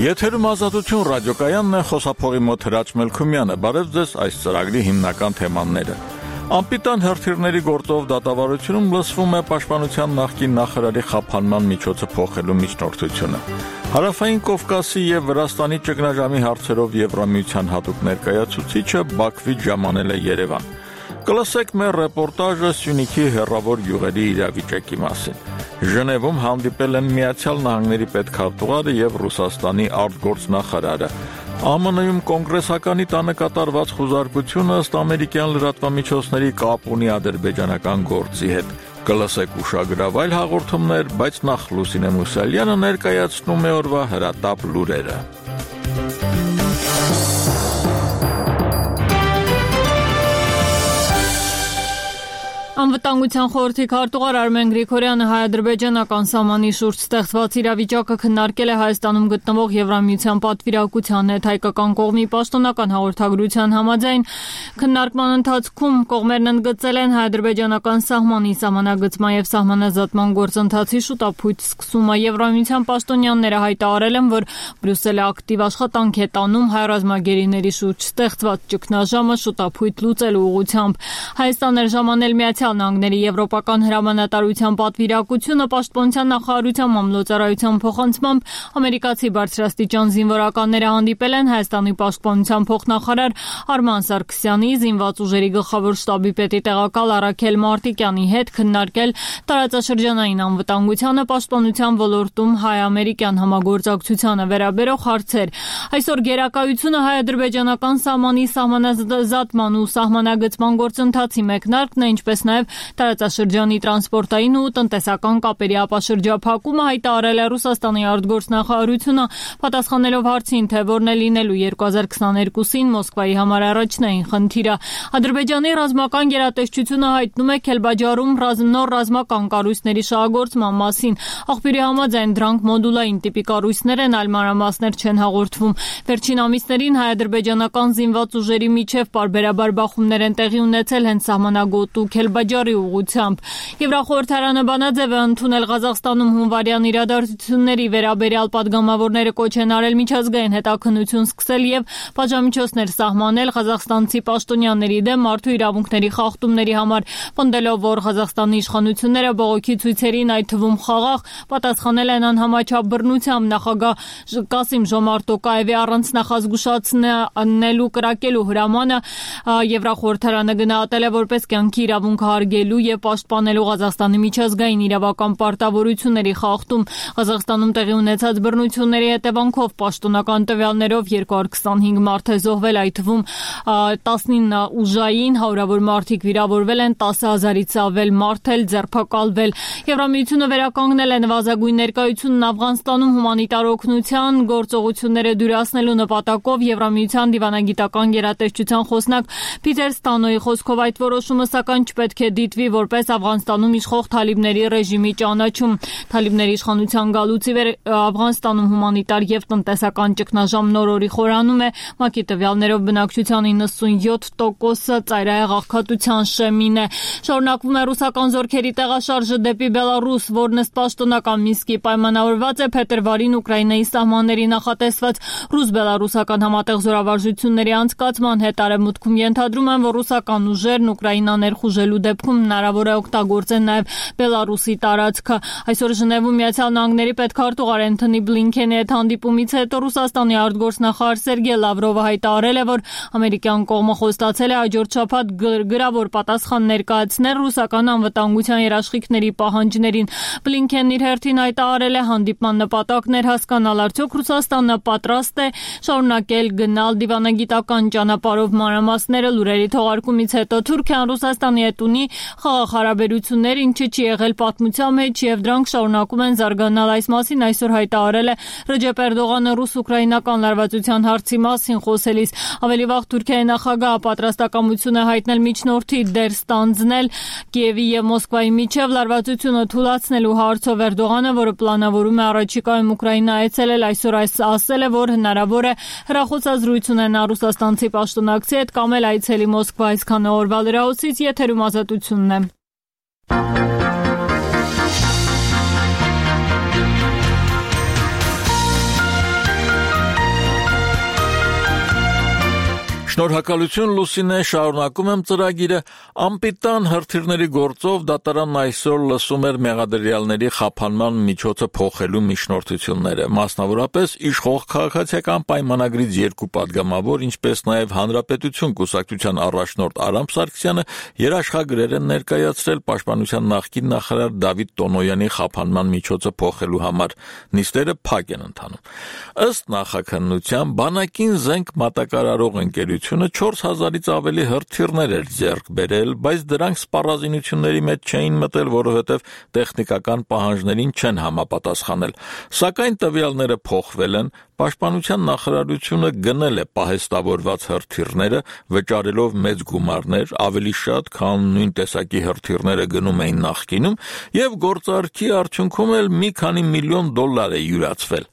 Եթերում Ազատություն ռադիոկայանն է, խոսափողի մոտ Հրաչ Մելքումյանը։ Բարև ձեզ այս ծրագրի հիմնական թեմաները։ Անպիտան հրթիռների գործով դատավարությունում լսվում է Պաշտպանության նախկին նախարարի խափանման միջոցը փոխելու միջնորդությունը։ Հարավային Կովկասի եւ Վրաստանի ճգնաժամի հարցերով Եվրամիության հատուկ ներկայացուցիչը Բաքվից ժամանել է Երևան։ Կլսեք մեր ռեպորտաժը Սյունիքի հեռավոր յուղերի իրավիճակի մասին։ Ժնևում հանդիպել են Միացյալ Նահանգների պետքարտուղարը եւ Ռուսաստանի արտգործնախարարը։ ԱՄՆ-ում կոնգրեսականի տանը կատարված խուզարկությունը ըստ ամերիկյան լրատվամիջոցների կապ ունի ադրբեջանական գործի հետ։ Կլսեք ուշագրավ այլ հաղորդումներ, բայց նախ Լուսինե Մուսալյանը ներկայացնում է օրվա հրատապ լուրերը։ Անվտանգության խորհրդի քարտուղար Արմեն Գրիգորյանը հայ-ադրբեջանական սահմանի շուրջ ստեղծված իրավիճակը քննարկել է Հայաստանում գտնվող Եվրամիության պատվիրակության հետ հայկական կողմի պաշտոնական հաղորդագրության համաձայն։ Քննարկման ընթացքում կողմերն ընդգծել են հայ-ադրբեջանական սահմանի սահմանագծման եւ սահմանազատման գործընթացի շուտապույտ սկսումը։ Եվրամիության պաշտոնյաները հայտարարել են, որ Բրյուսելը ակտիվ աշխատանք է տանում հայ ռազմագերիների շուրջ ստեղծված ճգնաժամը շուտապույտ լուծելու ուղղությամբ։ Հայաստան էր ժամանել Միացյալ Նահանգների Եվրոպական հրամանատարության պատվիրակությունը պաշտպանության նախարարության մամլոյցարայության փոխանցմամբ ամերիկացի բարձրաստիճան զինվորականները հանդիպել են Հայաստանի պաշտպանության փոխնախարար Արման Սարգսյանի, զինված ուժերի գլխավոր շտաբի պետի տեղակալ Առաքել Մարտիկյանի հետ քննարկել տարածաշրջանային անվտանգությանը, պաշտպանության ոլորտում հայ-ամերիկյան համագործակցությանը վերաբերող հարցեր։ Այսօր գերակայությունը հայ-ադրբեջանական սահմանի սահմանազատման ու սահմանագծման գործընթացի մեկնարկն է, ինչպես նաև տարածաշրջանի տրանսպորտային ու տնտեսական կապերի ապաշրջափակումը, հայտարարել է Ռուսաստանի արտգործնախարարությունը, պատասխանելով հարցին, թե որն է լինելու 2022-ին Մոսկվայի համար առաջնային խնդիրը։ Ադրբեջանի ռազմական գերատեսչությունը հայտնում է Քելբաջարում նոր ռազմական կառույցների շահագործման մասին։ Աղբյուրի համաձայն դրանք մոդուլային տիպի կառույցներ են, այլ մանրամասներ չեն հաղորդվում։ Վերջին ամիսներին հայ-ադրբեջանական զինված ուժերի միջև պարբերաբար բախումներ են տեղի ունեցել հենց սահմանագոտ ու Քելբաջարի ուղղությամբ։ Եվրախորհրդարանը բանաձև է ընդունել Ղազախստանում հունվարյան իրադարձությունների վերաբերյալ պատգամավորները կոչ են արել միջազգային հետաքննություն սկսել եւ պատժամիջոցներ սահմանել ղազախստանցի պաշտոնյաների դեմ մարդու իրավունքների խախտումների համար, պնդելով, որ Ղազախստանի իշխանությունները բողոքի ցույցերին, այդ թվում խաղաղ, պատասխանել են անհամաչափ բռնությամբ։ Նախագահ Կասիմ Ժոմարտ Տոկաևի առանց նախազգուշացնելու կրակելու հրամանը Եվրախորհրդարանը գնահատել է որպես կյանքի իրավունքը հարգելու եւ պաշտպանելու Ղազախստանի միջազգային իրավական պարտավորությունների խախտում։ Ղազախստանում տեղի ունեցած բռնությունների հետևանքով պաշտոնական տվյալներով 225 մարդ է զոհվել, այդ թվում 19 ուժային, հարյուրավոր մարդիկ վիրավորվել են, 10,000-ից ավել մարդ էլ ձերբակալվել։ Եվրամիությունը վերականգնել է նվազագույն ներկայությունն Աֆղանստանում հումանիտար օգնության գործողությունները դյուրացնելու նպատակով։ Եվրամիության դիվանագիտական գերատեսչության խոսնակ Փիթեր Ստանոյի խոսքով այդ որոշումը սակայն չպետք է դիտվի որպես Աֆղանստանում իշխող թալիբների ռեժիմի ճանաչում։ Թալիբների իշխանության գալուց ի վեր Աֆղանստանում հումանիտար եւ տնտեսական ճգնաժամ նոր-օրի խորանում է։ ՄԱԿ-ի տվյալներով բնակչության 97%-ը ծայրահեղ աղքատության շեմին է։ Շարունակվում է ռուսական զորքերի տեղաշարժը դեպի Բելարուս, որն ըստ պաշտոնական Մինսկի պայմանավորված է փետրվարին Ուկրաինայի սահմանների նախատեսված ռուս-բելարուսական համատեղ զորավարժությունների անցկացման հետ։ Արևմուտքում ենթադրում են, որ ռուսական ուժերն Ուկրաինան ներխուժելու դեպքում հնարավոր է օգտագործեն նաև Բելարուսի տարածքը։ Այսօր Ժնևում Միացյալ Նահանգների պետքարտուղար Անթոնի Բլինքենի հետ հանդիպումից հետո Ռուսաստանի արտգործնախարար Սերգեյ Լավրովը հայտարարել է, որ ամերիկյան կողմը խոստացել է հաջորդ շաբաթ գրավոր պատասխան ներկայացնել ռուսական անվտանգության երաշխիքների պահանջներին։ Բլինքենն իր հերթին հայտարարել է, հանդիպման նպատակն էր հասկանալ, արդյոք Ռուսաստանը պատրաստ է շարունակել գնալ դիվանագիտական ճանապարհով մանրամասները։ Լուրերի թողարկումից հետո Թուրքիան Ռուսաստանի հետ ունի խաղաղ հարաբերություններ, ինչը չի եղել պատմության մեջ, եւ դրանք շարունակում են զարգանալ։ Այս մասին այսօր հայտարարել է Ռեջեփ Էրդողանը ռուս-ուկրաինական լարվածության հարցի մասին խոսելիս։ Ավելի վաղ Թուրքիայի նախագահը պատրաստակամություն է հայտնել միջնորդի դեր ստանձնել Կիևի եւ Մոսկվայի միջև լարվածությունը թույլատնելու հարցով։ Էրդողանը, որը պլանավորում է առաջիկայում Ուկրաինա այցելել, այսօր ասել է, որ հնարավոր է հեռախոսազրույց ունենա ռուսաստանցի պաշտոնակցի հետ կամ էլ այցելի Մոսկվա։ Այսքանը օրվա լրահոսից, եթերում Ազատությունն է։ Շնորհակալություն Լուսինե, շարունակում եմ ծրագիրը։ Անպիտան հրթիռների գործով դատարանն այսօր լսում էր մեղադրյալների խափանման միջոցը փոխելու միջնորդությունները, մասնավորապես իշխող քաղաքացիական պայմանագրից երկու պատգամավոր, ինչպես նաև Հանրապետություն կուսակցության առաջնորդ Արամ Սարգսյանը երաշխագրեր են ներկայացրել պաշտպանության նախկին նախարար Դավիթ Տոնոյանի խափանման միջոցը փոխելու համար։ Նիստերը փակ են ընթանում։ Ըստ նախաքննության, բանակին զենք մատակարարող ընկերությունը 4000-ից ավելի հրթիռներ էր ձեռք բերել, բայց դրանք սպառազինությունների մեջ չէին մտել, որովհետև տեխնիկական պահանջներին չեն համապատասխանել։ Սակայն տվյալները փոխվել են, Պաշտպանության նախարարությունը գնել է պահեստավորված հրթիռները, վճարելով մեծ գումարներ, ավելի շատ, քան նույն տեսակի հրթիռները գնում էին նախկինում, եւ գործարքի արդյունքում էլ մի քանի միլիոն դոլար է յուրացվել։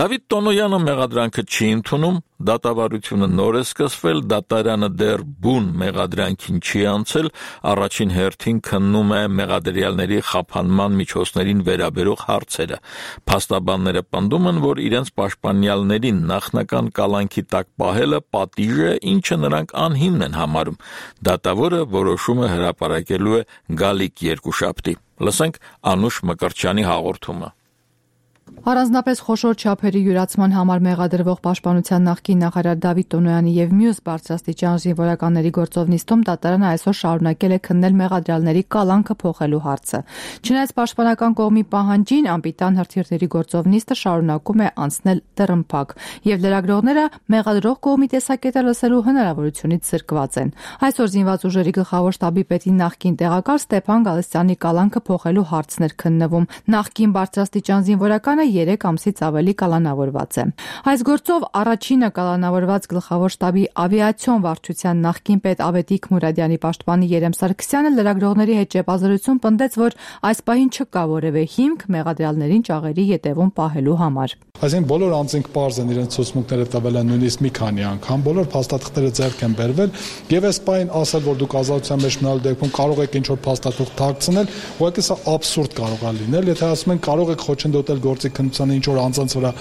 Դավիթ Տոնոյանը մեղադրանքը չի ընդունում, դատավարությունը նոր է սկսվել, դատարանը դեռ բուն մեղադրանքին չի անցել, առաջին հերթին քննում է մեղադրյալների խափանման միջոցներին վերաբերող հարցերը։ Փաստաբանները պնդում են, որ իրենց պաշտպանյալներին նախնական կալանքի տակ պահելը պատիժ է, ինչը նրանք անհիմն են համարում։ Դատավորը որոշումը հրապարակելու է գալիք երկուշաբթի։ Լսենք Անուշ Մկրտչյանի հաղորդումը։ Առանձնապես խոշոր չափերի յուրացման համար մեղադրվող պաշտպանության նախկին նախարար Դավիթ Տոնոյանի եւ մյուս բարձրաստիճան զինվորականների գործով նիստում դատարանը այսօր շարունակել է քննել մեղադրյալների կալանքը փոխելու հարցը։ Չնայած պաշտպանական կողմի պահանջին, անպիտան հրթիռների գործով նիստը շարունակում է անցնել դռնփակ, եւ լրագրողները մեղադրող կողմի տեսակետը լսելու հնարավորությունից զրկված են։ Այսօր զինված ուժերի գլխավոր շտաբի պետի նախկին տեղակալ Ստեփան Գալստյանի կալանքը փոխելու հարցն էր քննվում։ Նախկին բարձրաստիճան զինվորականը 3 ամսից ավելի կալանավորված է։ Այս գործով առաջինը կալանավորված գլխավոր շտաբի ավիացիոն վարչության նախկին պետ Ավետիք Մուրադյանի պաշտպանի Երեմ Սարգսյանը լրագրողների հետ ճեպազրույցում պնդեց, որ այս պահին չկա որևէ հիմք մեղադրյալներին ճաղերի ետևում պահելու համար։ Այսինքն բոլոր անձինք պարզ են, իրենց ցուցմունքները տվել են նույնիսկ մի քանի անգամ, բոլոր փաստաթղթերը ձեռք են բերվել, եւ այս պահին ասել, որ դուք ազատության մեջ մնալու դեպքում կարող եք ինչ-որ փաստաթուղթ թաքցնել, ուղղակի սա աբսուրդ կարող է լինել, եթե ասում են կարող եք խոչընդոտել գործի քննությանը ինչ-որ անձանց վրա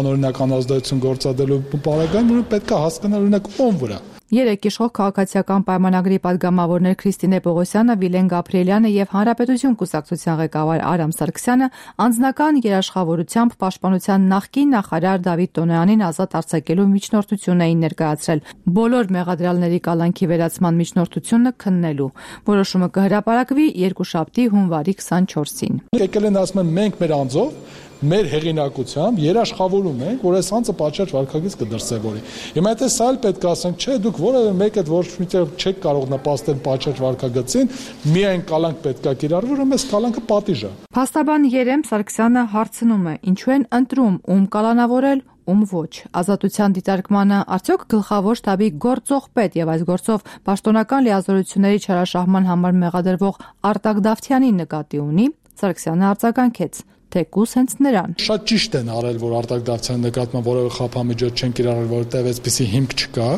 անօրինական ազդեցություն գործադրելու պարագայում, ուրեմն պետք է հասկանալ օրինակ ում վրա։ Երեք իշխող քաղաքացիական պայմանագրի պատգամավորներ Քրիստինե Պողոսյանը, Վիլեն Գաբրիելյանը եւ Հանրապետություն կուսակցության ղեկավար Արամ Սարգսյանը անձնական երաշխավորությամբ պաշտպանության նախկին նախարար Դավիթ Տոնոյանին ազատ արձակելու միջնորդություն էին ներկայացրել բոլոր մեղադրյալների կալանքի վերացման միջնորդությունը քննելու։ Որոշումը կհրապարակվի երկուշաբթի հունվարի 24-ին։ Եկել են ասում են մենք մեր անձով մեր հեղինակությամբ երաշխավորում ենք, որ այս անձը պատշաճ վարքագիծ կդրսևորի։ Հիմա եթե սա էլ պետք է ասենք, չէ, դուք որևէ մեկը ոչ միտեղ չեք կարող նպաստել պատշաճ վարքագծին, միայն կալանք պետք է կիրառվի, ուրեմն այս կալանքը պատիժ է։ Փաստաբան Երեմ Սարգսյանը հարցնում է. ինչու են ընտրում ում կալանավորել, ում ոչ։ Ազատության դիտարկմանը արդյոք գլխավոր շտաբի գործող պետ եւ այս գործով պաշտոնական լիազորությունների չարաշահման համար մեղադրվող Արտակ Դավթյանին նկատի ունի։ Սարգսյանը արձագանքեց. թեկուզ հենց նրան։ Շատ ճիշտ են արել, որ Արտակ Դավթյանի նկատմամբ որևէ խափամիջոց չեն կիրառել, որովհետեւ այսպիսի հիմք չկա։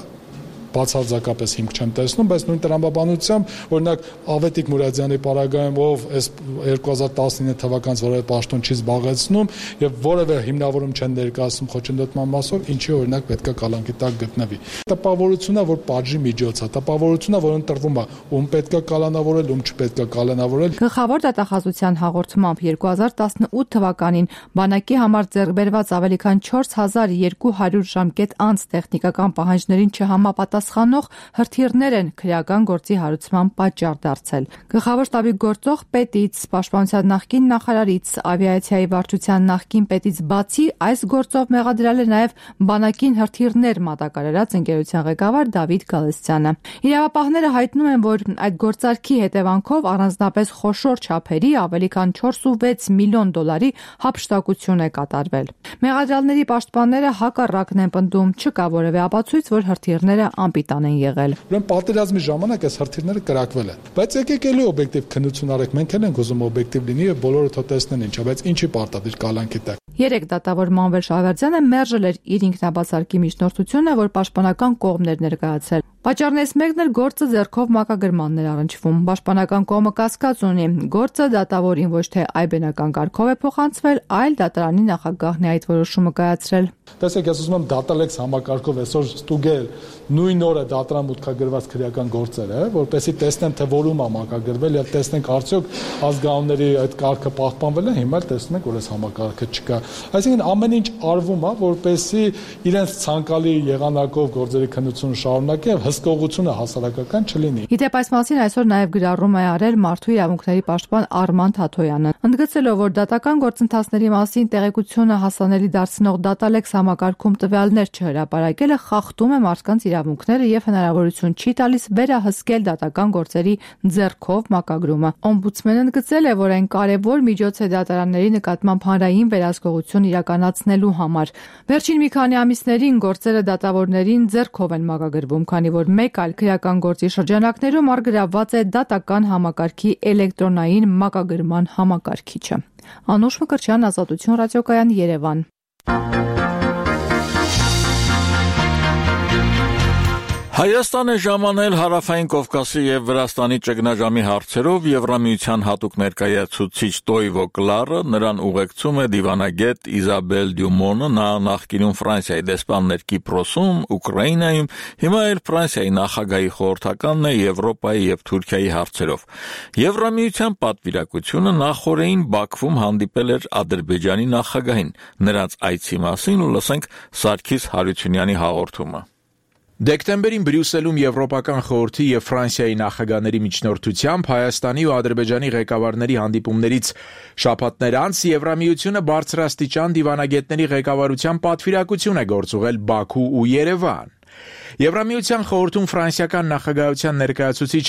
Բացարձակապես հիմք չեմ տեսնում, բայց նույն տրամաբանությամբ, օրինակ Ավետիք Մուրադյանի պարագայում, ով այս 2019 թվականից որևէ պաշտոն չի զբաղեցնում եւ որևէ հիմնավորում չեն ներկայացնում խոչընդոտման մասով, ինչի օրինակ պետք է կալանքի տակ գտնվի։ Տպավորությունն է, որ պատժի միջոց է, տպավորությունն է, որ ընտրվում է, ում պետք է կալանավորել, ում չպետք է կալանավորել։ Գլխավոր դատախազության հաղորդմամբ 2018 թվականին բանակի համար ձեռքբերված ավելի քան 4200 ժամկետ անց տեխնիկական պահանջներին չհամապատասխանող հրթիռներ են քրեական գործի հարուցման պատճառ դարձել։ Գլխավոր շտաբի գործող պետից, պաշտպանության նախկին նախարարից, ավիացիայի վարչության նախկին պետից բացի այս գործով մեղադրել է նաև բանակին հրթիռներ մատակարարած ընկերության ղեկավար Դավիթ Գալստյանը։ Իրավապահները հայտնում են, որ այդ գործարքի հետևանքով առանձնապես խոշոր չափերի ավելի քան 4.6 միլիոն դոլարի հափշտակություն է կատարվել։ Մեղադրյալների պաշտպանները հակառակն են պնդում, չկա որևէ ապացույց, որ հրթիռները անպիտան են եղել։ Ուրեմն պատերազմի ժամանակ այս հրթիռները կրակվել են։ Բայց եկեք էլի օբյեկտիվ քննություն արեք, մենք էլ ենք ուզում օբյեկտիվ լինի եւ բոլորը թող տեսնեն ինչա, բայց ինչի պարտադիր կալանքի տակ։ Երեք դատավոր Մանվել Շավերդյանը մերժել էր իր ինքնաբացարկի միջնորդությունը, որ պաշտպանական կողմն էր ներկայացրել։ Պատճառներից մեկն էլ գործը ձեռքով մակագրմանն էր առնչվում։ Պաշտպանական կողմը կասկած ունի, գործը դատավորին ոչ թե այբենական կարգով է փոխանցվել, այլ դատարանի նախագահն է այդ որոշումը կայացրել։ Տեսեք, ես ուզում եմ դատալեքս համակարգով այսօր ստուգել նույն օրը դատարան մուտքագրված քրեական գործերը, որպեսզի տեսնեմ, թե որում է մակագրվել եւ տեսնենք արդյոք ազգանունների այդ կարգը պահպանվել է, հիմա տեսնում ենք, որ այս համակարգը չկա։ Այսինքն ամեն ինչ արվում է, որպեսզի իրենց ցանկալի եղանակով գործերի քննությունը շարունակի եւ հսկողությունը հասարակական չլինի։ Իդեպ այս մասին այսօր նաև գրառում է արել Մարդու իրավունքների պաշտպան Արման Թաթոյանը, ընդգծելով, որ դատական գործընթացների մասին տեղեկությունը հասանելի դարձնող դատալեքս համակարգում տվյալներ չհրապարակելը խախտում է մարդկանց իրավունքները եւ հնարավորություն չի տալիս վերահսկել դատական գործերի ձեռքով մակագրումը։ Օմբուդսմենը ընդգծել է, որ այն կարևոր միջոց է դատարանների նկատմամբ հանրային վերահսկողություն իրականացնելու համար։ Վերջին մի քանի ամիսներին գործերը դատավորներին ձեռքով են մակագրվում, քանի որ մեկ այլ քրեական գործի շրջանակներում առգրավված է դատական համակարգի էլեկտրոնային մակագրման համակարգիչը։ Անուշ Մկրտչյան, Ազատություն ռադիոկայան, Երևան։ Հայաստանը ժամանել Հարավային Կովկասի եւ Վրաստանի ճգնաժամի հարցերով Եվրամիության հատուկ ներկայացուցիչ Տոյվո Կլարը նրան ուղեկցում է դիվանագետ Իզաբել Դյումոնը, նա նախկինում Ֆրանսիայի դեսպաններ Կիպրոսում, Ուկրաինայում, հիմա էլ Ֆրանսիայի նախագահի խորհրդականն է Եվրոպայի եւ Թուրքիայի հարցերով։ Եվրամիության պատվիրակությունը նախորդին Բաքվում հանդիպել էր Ադրբեջանի նախագահին։ Նրանց այցի մասին լսենք Սարգիս Հարությունյանի հաղորդումը։ Դեկտեմբերին Բրյուսելում Եվրոպական խորհրդի եւ Ֆրանսիայի նախագահների միջնորդությամբ Հայաստանի ու Ադրբեջանի ղեկավարների հանդիպումներից շաբաթներ անց Եվրամիությունը բարձրաստիճան դիվանագետների ղեկավարության պատվիրակություն է գործուղել Բաքու ու Երևան։ Եվրամիության խորհրդում ֆրանսիական նախագահության ներկայացուցիչ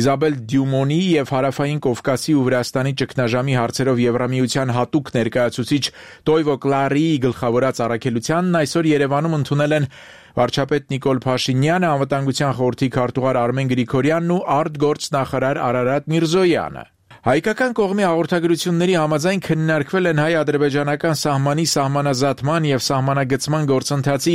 Իզաբել Դյումոնի եւ Հարավային Կովկասի ու Վրաստանի ճգնաժամի հարցերով Եվրամիության հատուկ ներկայացուցիչ Տոյվո Կլարի գլխավորած առաքելությանն այսօր Երևանում ընդունել են վարչապետ Նիկոլ Փաշինյանը, անվտանգության խորհրդի քարտուղար Արմեն Գրիգորյանն ու արտգործնախարար Արարատ Միրզոյանը։ Հայկական կողմի հաղորդագրությունների համաձայն քննարկվել են հայ-ադրբեջանական սահմանի սահմանազատման եւ սահմանագծման գործընթացի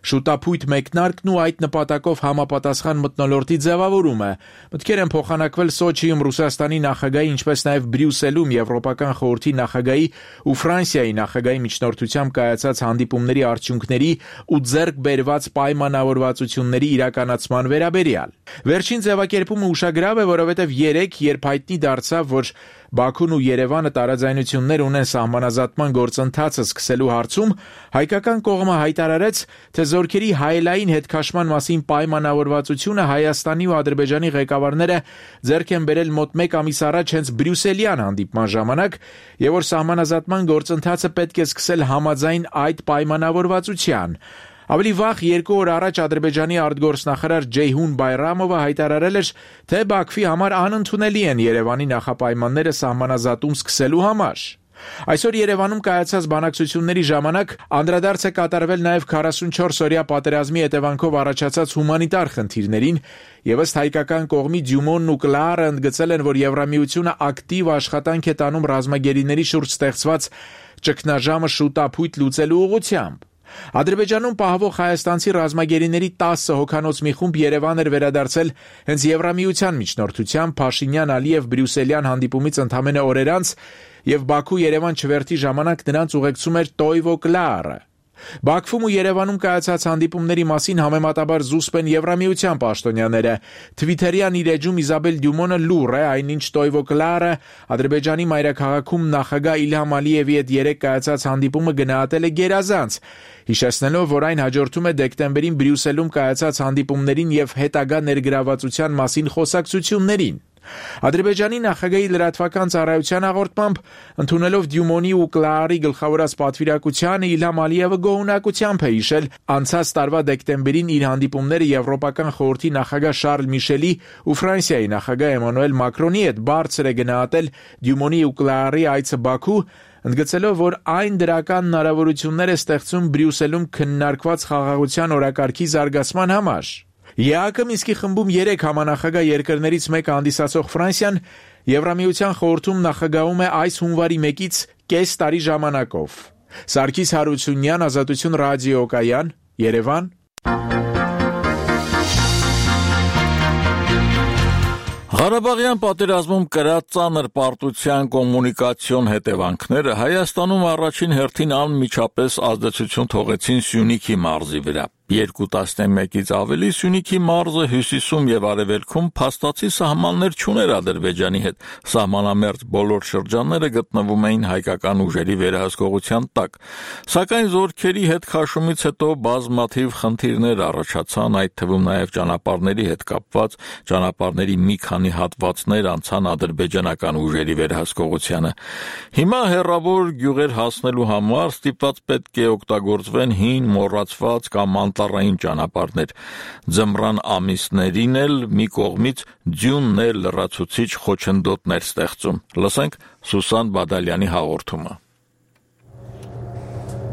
շուտափույթ մեկնարկն ու այդ նպատակով համապատասխան մթնոլորտի ձևավորումը։ Մտքեր են փոխանակվել Սոչիում Ռուսաստանի նախագահի, ինչպես նաեւ Բրյուսելում Եվրոպական խորհրդի նախագահի ու Ֆրանսիայի նախագահի միջնորդությամբ կայացած հանդիպումների արդյունքների ու ձեռք բերված պայմանավորվածությունների իրականացման վերաբերյալ։ Վերջին ձևակերպումը ուշագրավ է, որովհետեւ երբ հայտնի դարձավ, որ Բաքուն ու Երևանը տարաձայնություններ ունեն սահմանազատման գործընթացը սկսելու հարցում, հայկական կողմը հայտարարեց, թե զորքերի հայելային հետքաշման մասին պայմանավորվածությունը Հայաստանի ու Ադրբեջանի ղեկավարները ձեռք են բերել մոտ 1 ամիս առաջ հենց Բրյուսելյան հանդիպման ժամանակ, եւ որ սահմանազատման գործընթացը պետք է սկսել համաձայն այդ պայմանավորվածության։ Ավելի վաղ 2 օր առաջ Ադրբեջանի արտգործնախարար Ջեյհուն Բայրամովը հայտարարել էր, թե Բաքվի համար անընդունելի են Երևանի նախապայմանները սահմանազատում սկսելու համար։ Այսօր Երևանում կայացած բանակցությունների ժամանակ անդրադարձ է կատարվել նաև 44-օրյա պատերազմի հետևանքով առաջացած հումանիտար խնդիրներին, եւ ըստ հայկական կողմի Դյումոնն ու Կլարը ընդգծել են, որ Եվրամիությունը ակտիվ աշխատանք է տանում ռազմագերիների շուրջ ստեղծված ճգնաժամը շուտափույթ լուծելու ուղղությամբ։ Ադրբեջանում պահվող հայաստանցի ռազմագերիների 10 հոգանոց մի խումբ Երևան էր վերադարձել հենց Եվրամիության միջնորդությամբ Փաշինյան-Ալիև Բրյուսելյան հանդիպումից ընդամենը օրեր անց եւ Բաքու-Երևան չվերթի ժամանակ նրանց ուղեկցում էր Տոյվո Կլարը։ Բաքվում ու Երևանում կայացած հանդիպումների մասին համեմատաբար զուսպ են Եվրամիության պաշտոնյաները։ Թվիթերյան իր էջում Իզաբել Դյումոնը լուր է, այնինչ Տոյվո Կլարը Ադրբեջանի մայրաքաղաքում նախագահ Իլհամ Ալիևի հետ երեկ կայացած հանդիպումը գնահատել է գերազանց, հիշեցնելով, որ այն հաջորդում է դեկտեմբերին Բրյուսելում կայացած հանդիպումներին եւ հետագա ներգրավվածության մասին խոսակցություններին։ Ադրբեջանի նախագահի լրատվական ծառայության հաղորդմամբ, ընդունելով Դյումոնի ու Կլարի գլխավորած պատվիրակությանը, Իլհամ Ալիևը գոհունակությամբ է հիշել անցած տարվա դեկտեմբերին իր հանդիպումները Եվրոպական խորհրդի նախագահ Շարլ Միշելի ու Ֆրանսիայի նախագահ Էմանուել Մակրոնի հետ բարձր է գնահատել Դյումոնի ու Կլարի այցը Բաքու, ընդգծելով, որ այն դրական հնարավորություններ է ստեղծում Բրյուսելում քննարկված խաղաղության օրակարգի զարգացման համար։ ԵԱՀԿ Մինսկի խմբում 3 համանախագահ երկրներից մեկը հանդիսացող Ֆրանսիան Եվրամիության խորհրդում նախագահում է այս հունվարի 1-ից կես տարի ժամանակով։ Սարգիս Հարությունյան, Ազատություն ռադիոկայան, Երևան։ Ղարաբաղյան պատերազմում կրած ծանր պարտության կոմունիկացիոն հետևանքները Հայաստանում առաջին հերթին անմիջապես ազդեցություն թողեցին Սյունիքի մարզի վրա։ 2-11-ից ավելի Սյունիքի մարզը հյուսիսում եւ արևելքում փաստացի սահմաններ չուներ Ադրբեջանի հետ։ Սահմանամերձ բոլոր շրջանները գտնվում էին հայկական ուժերի վերահսկողության տակ։ Սակայն զորքերի հետ քաշումից հետո բազմաթիվ խնդիրներ առաջացան, այդ թվում նաեւ ճանապարհների հետ կապված, ճանապարհների մի քանի հատվածներ անցան ադրբեջանական ուժերի վերահսկողությանը։ Հիմա հերրավոր գյուղեր հասնելու համար ստիպված պետք է օգտագործվեն հին, մոռացված կամ անտառային ճանապարհներ։ Ձմռան ամիսներին էլ մի կողմից ձյունն էլ լրացուցիչ խոչընդոտներ ստեղծում։ Լսենք Սուսան Բադալյանի հաղորդումը։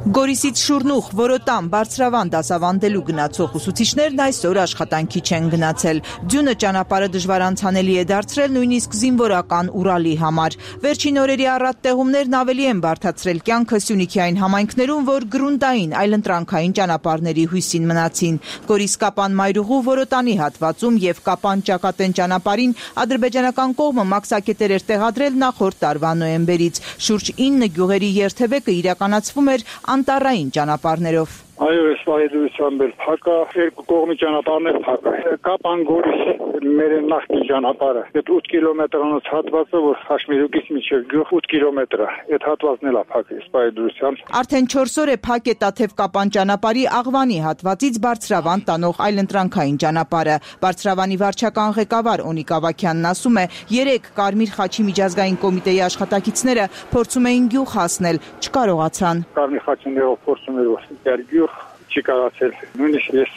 Գորիսից Շուրնուխ, Որոտան, Բարձրավան դասավանդելու գնացող ուսուցիչներն այսօր աշխատանքի չեն գնացել։ Ձյունը ճանապարհը դժվար անցանելի է դարձրել նույնիսկ զինվորական Ուրալի համար։ Վերջին օրերի առատ տեղումներն ավելի են բարդացրել կյանքը Սյունիքի այն համայնքներում, որ գրունտային այլընտրանքային ճանապարհների հույսին մնացին։ Գորիս-Կապան Մայրուղու Որոտանի հատվածում եւ Կապան-Ճակատեն ճանապարհին ադրբեջանական կողմը մաքսակետեր էր տեղադրել նախորդ տարվա նոյեմբերից։ Շուրջ 9 գյուղերի երթևեկը իրականացվում էր անտառային ճանապարհներով։ Այո, այս վայրդրությամբ էլ փակ է, երկու կողմի ճանապարհներ փակ է։ Կապան-Գորիս մեր նախկին ճանապարհը, այդ 8 կիլոմետրանոց հատվածը, որ Խաշմերուկից մինչև գյուղ 8 կիլոմետր է, այդ հատվածն էլ է փակ այս վայրդրությամբ։ Արդեն 4 օր է փակ է Տաթև-Կապան ճանապարհի Աղվանի հատվածից Բարձրավան տանող այլընտրանքային ճանապարհը։ Բարձրավանի վարչական ղեկավար Օնիկ Ավագյանն ասում է, 3 Կարմիր խաչի միջազգային կոմիտեի աշխատակիցները փորձում էին գյուղ հասնել, չկարողացան։ Կարմիր խաչիներով փորձում էր որ գյուղ չի կարացել։ Նույնիսկ ես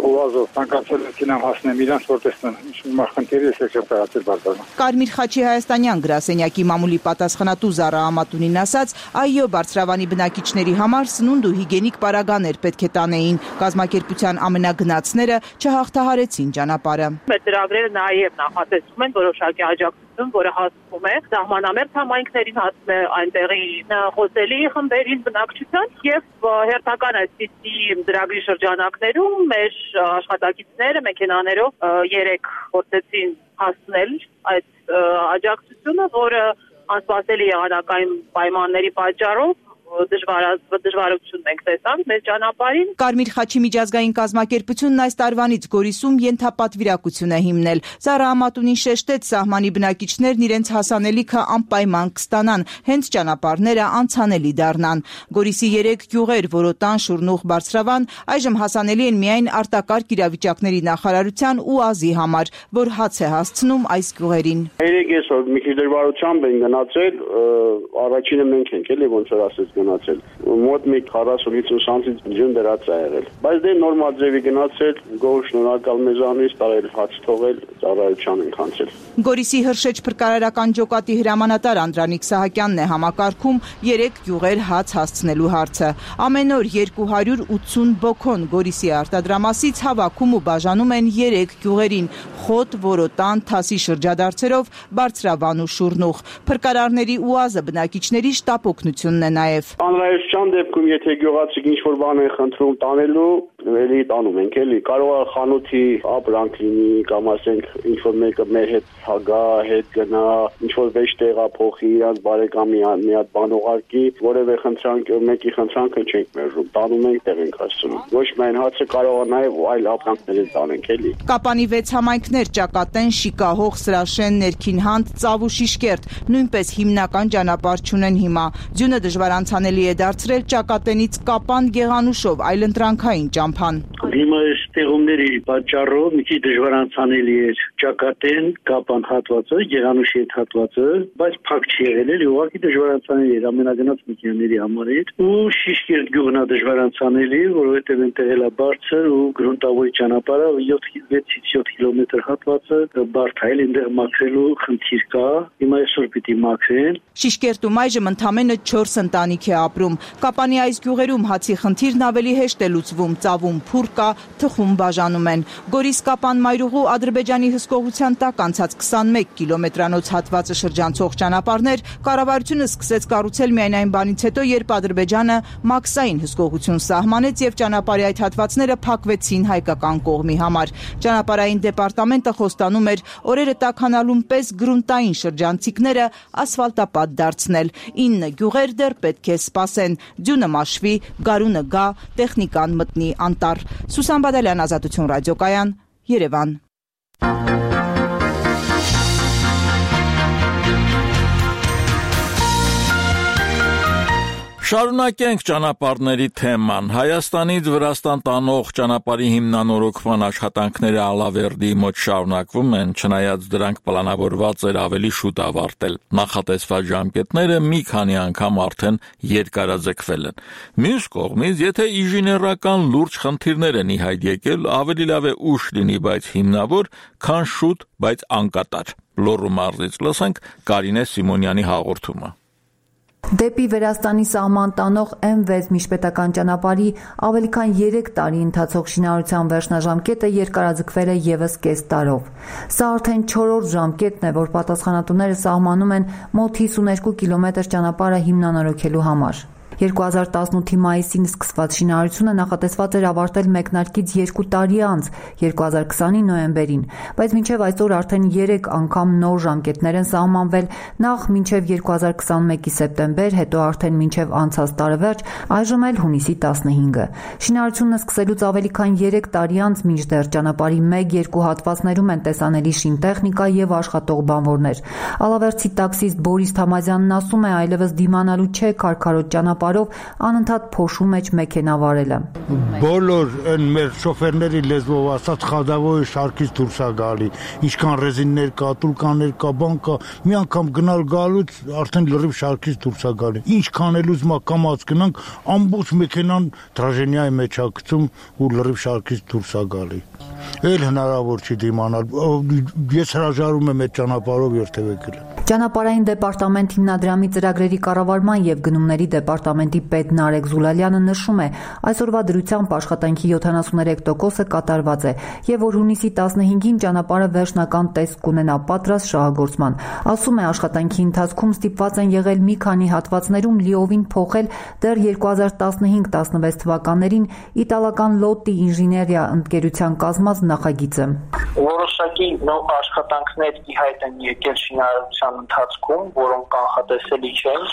հուազով ցանկացել եմ հասնեմ իրանց որտեսն մախնդիրը չեմ կարացել բարձրանում։ Կարմիր խաչի հայաստանյան գրասենյակի մամուլի պատասխանատու Զարա Ամատունին ասաց, այո, Բարձրավանի բնակիչների համար սնունդ ու հիգիենիկ պարագաներ պետք է տանեին։ Կազմակերպության ամենագնացները չհաղթահարեցին ճանապարհը։ Մեր ծրագրերը նաև նախատեսում են որոշակի աջակցություն, որը հասնում է սահմանամերձ համայնքներին, հասնում է այնտեղի խոսելի խմբերին, բնակչության եւ հերթական այսպիսի ծրագրի շրջանակներում մեր աշխատակիցները մեքենաներով 3 փորձեցին հասնել այդ աջակցությունը, որը անսպասելի եղանակային պայմանների պատճառով դժվարություն ենք տեսանք մեր ճանապարհին։ Կարմիր խաչի միջազգային կազմակերպությունն այս տարվանից Գորիսում ենթապատվիրակություն է հիմնել։ Զարա Ամատունին շեշտեց, սահմանի բնակիչներն իրենց հասանելիքը անպայման կստանան, հենց ճանապարհները անցանելի դառնան։ Գորիսի 3 գյուղեր՝ Որոտան, Շուրնուխ, Բարձրավան, այժմ հասանելի են միայն արտակարգ իրավիճակների նախարարության ու ԱԶ-ի համար, որ հաց է հասցնում այս գյուղերին։ Երեք այսօր մի քիչ դժվարությամբ են գնացել, առաջինը մենք ենք էլի ոնց որ ասես գնացել։ Մոտ մի 40-50 սանտիմ ձյուն դրած է եղել։ Բայց դե նորմալ ձևի գնացել, գոհ շնորհակալ մեզանից, տարել հաց թողել, ծառայության ենք անցել։ Գորիսի Հրշեջ փրկարարական ջոկատի հրամանատար Անդրանիկ Սահակյանն է համակարգում 3 գյուղեր հաց հասցնելու հարցը։ Ամեն օր 280 բոքոն Գորիսի արտադրամասից հավաքում ու բաժանում են 3 գյուղերին՝ Խոտ, Որոտան, Թասի շրջադարձերով, Բարձրավան ու Շուրնուխ։ Փրկարարների ՈՒԱԶ-ը բնակիչների շտապ օգնությունն է նաև։ Անհրաժեշտության դեպքում, եթե գյուղացիք ինչ-որ բան են խնդրում տանելու, էլի տանում ենք, էլի։ Կարող է խանութի ապրանք լինի, կամ ասենք ինչ-որ մեկը մեր հետ հագա, հետ գնա, ինչ-որ վեճ տեղափոխի, իրանց բարեկամի մի հատ բան ուղարկի, որևէ խնդրանք, մեկի խնդրանքը չենք մերժում, տանում ենք, տեղ ենք հասցնում։ Ոչ միայն հացը, կարող է նաև այլ ապրանքներ տանենք, էլի։ Կապանի 6 համայնքներ՝ Ճակատեն, Շիկահող, Սրաշեն, Ներքինհանդ, Ծավ ու Շիշկերտ, նույնպես հիմնական ճանապարհ չունեն հիմա։ Ձյունը դժվար անցանելի է դարձրել Ճակատենից Կապան Գեղանուշով այլընտրանքային ճամփան։ Հիմա այս տեղումների պատճառով մի քիչ դժվար անցանելի է Ճակատեն, Կապան հատվածը, Գեղանուշի այդ հատվածը, բայց փակ չի եղել, էլի ուղղակի դժվար անցանելի է ամենագնաց մեքենաների համար ու Շիշկերտ գյուղն է դժվար անցանելի, որովհետև այնտեղ էլ է բարձր ու գրունտավոր ճանապարհը 6-ից 7 կիլոմետր հատվածը բարդ է, այնտեղ մաքրելու խնդիր կա, հիմա այսօր պիտի մաքրեն։ Շիշկերտում այժմ ընդամենը 4 ընտանիք է ապրում։ Կապանի այս գյուղերում հացի խնդիրն ավելի հեշտ է լուծվում, ծավում փուռ կա, թխում ընթացքում բաժանում են։ Գորիս-Կապան մայրուղու Ադրբեջանի հսկողության տակ անցած 21 կիլոմետրանոց հատվածը շրջանցող ճանապարհներ կառավարությունը սկսեց կառուցել միայն այն բանից հետո, երբ Ադրբեջանը մաքսային հսկողություն սահմանեց եւ ճանապարհի այդ հատվածները փակվեցին հայկական կողմի համար։ Ճանապարհային դեպարտամենտը խոստանում էր օրերը տաքանալուն պես գրունտային շրջանցիկները ասֆալտապատ դարձնել։ 9 գյուղեր դեռ պետք է սպասեն, ձյունը մաշվի, գարունը գա, տեխնիկան մտնի անտառ։ Սուսան Բադալյան, Ազատություն ռադիոկայան, Երևան։ Շարունակենք ճանապարհների թեման։ Հայաստանից Վրաստան տանող ճանապարհի հիմնանորոգման աշխատանքները Ալավերդի մոտ շարունակվում են, չնայած դրանք պլանավորված էր ավելի շուտ ավարտել։ Նախատեսված ժամկետները մի քանի անգամ արդեն երկարաձգվել են։ Մյուս կողմից, եթե ինժեներական լուրջ խնդիրներ են ի հայտ եկել, ավելի լավ է ուշ լինի, բայց հիմնավոր, քան շուտ, բայց անկատար։ Լոռու մարզից լսենք Կարինե Սիմոնյանի հաղորդումը։ Դեպի Վրաստանի սահման տանող M6 միջպետական ճանապարհի ավելի քան 3 տարի ընթացող շինարարության վերջնաժամկետը երկարաձգվել է ևս կես տարով։ Սա արդեն 4-րդ ժամկետն է, որ պատասխանատուները սահմանում են մոտ 52 կիլոմետր ճանապարհը հիմնանորոգելու համար։ 2018-ի մայիսին սկսված շինարարությունը նախատեսված էր ավարտել մեկնարկից 2 տարի անց, 2020-ի նոյեմբերին, բայց մինչև այսօր արդեն 3 անգամ նոր ժամկետներ են սահմանվել, նախ մինչև 2021-ի սեպտեմբեր, հետո արդեն մինչև անցած տարեվերջ, այժմ էլ հունիսի 15-ը։ Շինարարությունը սկսելուց ավելի քան 3 տարի անց մինչդեռ ճանապարհի 1-2 հատվածներում են տեսանելի շինտեխնիկա եւ աշխատող բանվորներ։ Ալավերդցի տաքսիստ Բորիս Թամազյանն ասում է, այլևս դիմանալու չէ քարքարոտ ճանապարհով անընդհատ փոշու մեջ մեքենա վարելը։ Բոլոր այն մեր շոֆերների լեզվով ասած խադավոյը շարքից դուրս է գալի։ Ինչքան ռեզիններ կա, տուլկաներ կա, բան կա, մի անգամ գնալ գալուց արդեն լրիվ շարքից դուրս է գալի։ Ինչքան էլ ուզում կամած գնանք, ամբողջ մեքենան տրաժենիայի մեջ է գցում ու լրիվ շարքից դուրս է գալի։ Էլ հնարավոր չի դիմանալ։ Ես հրաժարվում եմ այդ ճանապարհով երթևեկել։ Ճանապարհային դեպարտամենտ հիմնադրամի ծրագրերի կառավարման եւ գնումների դեպարտամենտի պետ Նարեկ Զուլալյանը նշում է, այսօրվա դրությամբ աշխատանքի 73%-ը կատարված է եւ որ հունիսի 15-ին ճանապարհը վերջնական տեսք կունենա պատրաստ շահագործման։ Ասում է, աշխատանքի ընթացքում ստիպված են եղել մի քանի հատվածներում լիովին փոխել դեռ 2015-16 թվականներին իտալական Լոտտի ինժեներիա ընկերության կազմած նախագիծը։ Որոշակի նոր աշխատանքներ ի հայտ են եկել շինարարության ընթացքում, որոնք կանխատեսելի չեն,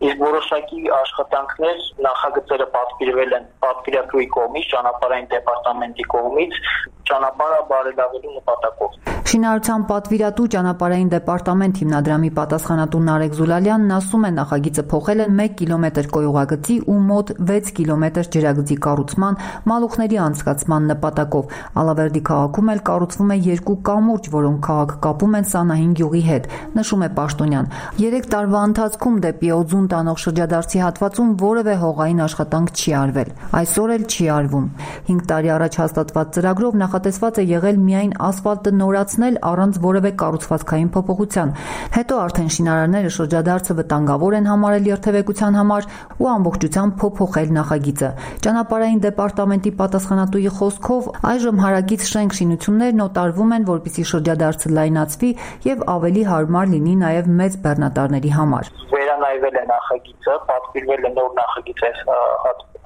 իսկ որոշակի աշխատանքներ նախագծերը պատվիրվել են պատվիրատուի կողմից, ճանապարհային դեպարտամենտի կողմից, ճանապարհը բարելավելու նպատակով։ Շինարարության պատվիրատու ճանապարհային դեպարտամենտ հիմնադրամի պատասխանատու Նարեկ Զուլալյանն ասում է, նախագիծը փոխել են 1 կիլոմետր կոյուղագծի ու մոտ 6 կիլոմետր ջրագծի կառուցման, մալուխների անցկացման նպատակով։ Ալավերդի քաղաքում էլ կառուցվում է 2 կամուրջ, որոնք քաղաք կապում են Սանահին գյուղի հետ, նշում է Պաշտոնյան։ 3 տարվա ընթացքում դեպի Օձուն տանող շրջադարձի հատվածում որևէ հողային աշխատանք չի արվել։ Այսօր էլ չի արվում։ 5 տարի առաջ հաստատված ծրագրով նախատեսված է եղել միայն ասֆալտը նորացնել առանց որևէ կառուցվածքային փոփոխության։ Հետո արդեն շինարարները շրջադարձը վտանգավոր են համարել երթևեկության համար ու ամբողջությամբ փոփոխել նախագիծը։ Ճանապարհային դեպարտամենտի պատասխանատուի խոսքով այժմ հարակից շենք շինություններն օտարվում են, որպեսզի շրջադարձը լայնացվի եւ ավելի հարմար լինի նաեւ մեծ բեռնատարների համար։ Վերանայվել է նախագիծը, պատվիրվել է նոր նախագիծ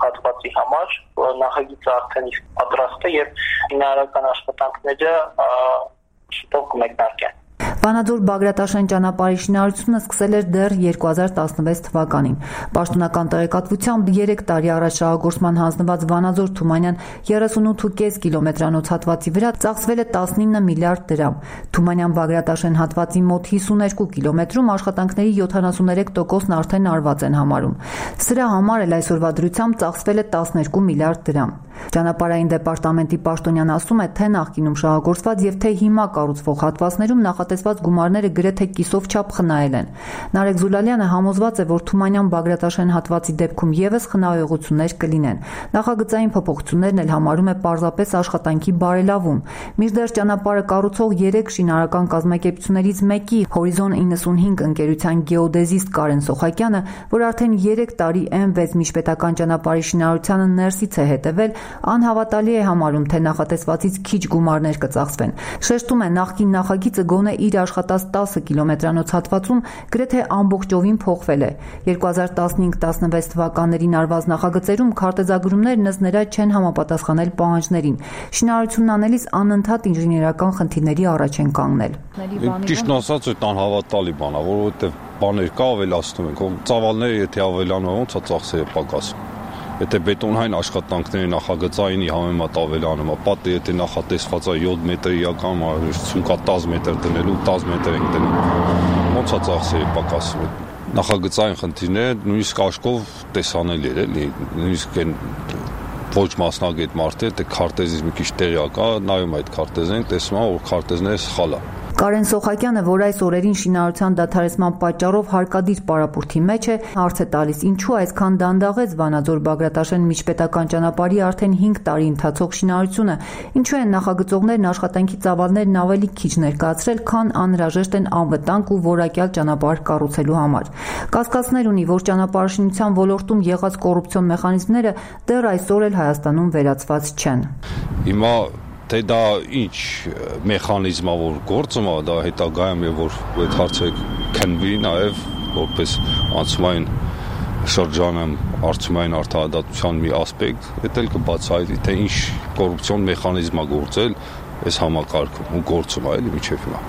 հատվածի համար, նախագիծը արդեն իսկ պատրաստ է եւ շինարարական աշխատանքները շուտով կմեկնարկեն։ Վանաձոր Բագրատաշեն ճանապարհի շինարարությունը սկսել էր դեռ 2016 թվականին։ Պաշտոնական տեղեկատվությամբ 3 տարի առաջ շահագործման հանձնված Վանաձոր-Թումանյան 38.5 կիլոմետրանոց հատվածի վրա ծախսվել է 19 միլիարդ դրամ։ Թումանյան-Բագրատաշեն հատվածի մոտ 52 կիլոմետրում աշխատանքների 73%-ն արդեն արված են համարում։ Սրա համար էլ այսօրվա դրությամբ ծախսվել է 12 միլիարդ դրամ։ Ճանապարհային դեպարտամենտի պաշտոնյան ասում է, թե նախկինում շահագործված եւ թե հիմա կառուցվող հատվածներում նախատեսված հատկացված գումարները գրեթե կիսով չափ խնայել են։ Նարեկ Զուլալյանը համոզված է, որ Թումանյան-Բագրատաշեն հատվածի դեպքում եւս խնայողություններ կլինեն։ Նախագծային փոփոխություններն էլ համարում է պարզապես աշխատանքի բարելավում։ Մինչդեռ ճանապարհը կառուցող 3 շինարարական կազմակերպություններից մեկի Հորիզոն 95 ընկերության գեոդեզիստ Կարեն Սոխակյանը, որ արդեն 3 տարի M6 միջպետական ճանապարհի շինարարությանը ներսից է հետևել, անհավատալի է համարում, թե նախատեսվածից քիչ գումարներ կծախսվեն։ Շեշտում է, նախկին նախագիծը գոնե իր աշխատած 10 կիլոմետրանոց հատվածում գրեթե ամբողջովին փոխվել է։ 2015-16 թվականներին արված նախագծերում քարտեզագրումներն ըստ նրա չեն համապատասխանել պահանջներին։ Շինարարությունն անելիս անընդհատ ինժեներական խնդիրների առաջ են կանգնել։ Ճիշտն ասած, այդ անհավատալի բան է, որովհետև բաներ կա ավելացնում ենք, ծավալները եթե ավելանում, ոնց է ծախսերը պակասում։ Եթե բետոնային աշխատանքների նախագծայինի համեմատ ավելանում, պատը եթե նախատեսված է 7 մետր իրական հարստություն կա 10 մետր դնելու, 10 մետր ենք դնում, ոնց է ծախսերը պակասում։ Նախագծային խնդիրները նույնիսկ աշկով տեսանելի է, նույնիսկ այն ոչ մասնագետ մարդը, եթե քարտեզից մի քիչ տեղյակ է, նայում այդ քարտեզին, տեսնում է, որ քարտեզները սխալ է։ Կարեն Սոխակյանը, որ այս օրերին շինարարության դադարեցման պատճառով հարկադիր պարապուրդի մեջ է, հարց է տալիս, ինչու այսքան դանդաղեց Վանաձոր-Բագրատաշեն միջպետական ճանապարհի արդեն 5 տարի ընթացող շինարարությունը, ինչու են նախագծողներն աշխատանքի ծավալներն ավելի քիչ ներկայացրել, քան անհրաժեշտ են անվտանգ ու որակյալ ճանապարհ կառուցելու համար։ Կասկածներ ունի, որ ճանապարհաշինության ոլորտում եղած կոռուպցիոն մեխանիզմները դեռ այսօր էլ Հայաստանում վերացված չեն։ Հիմա թե դա ինչ մեխանիզմ է, որ գործում է, դա հետագայում է, որ այդ հարցը քննվի նաև որպես անցումային շրջանում արդյունային արդարադատության մի ասպեկտ, դա էլ կբացահայտի, թե ինչ կոռուպցիոն մեխանիզմ է գործել այս համակարգում ու գործում է էլի մինչև հիմա։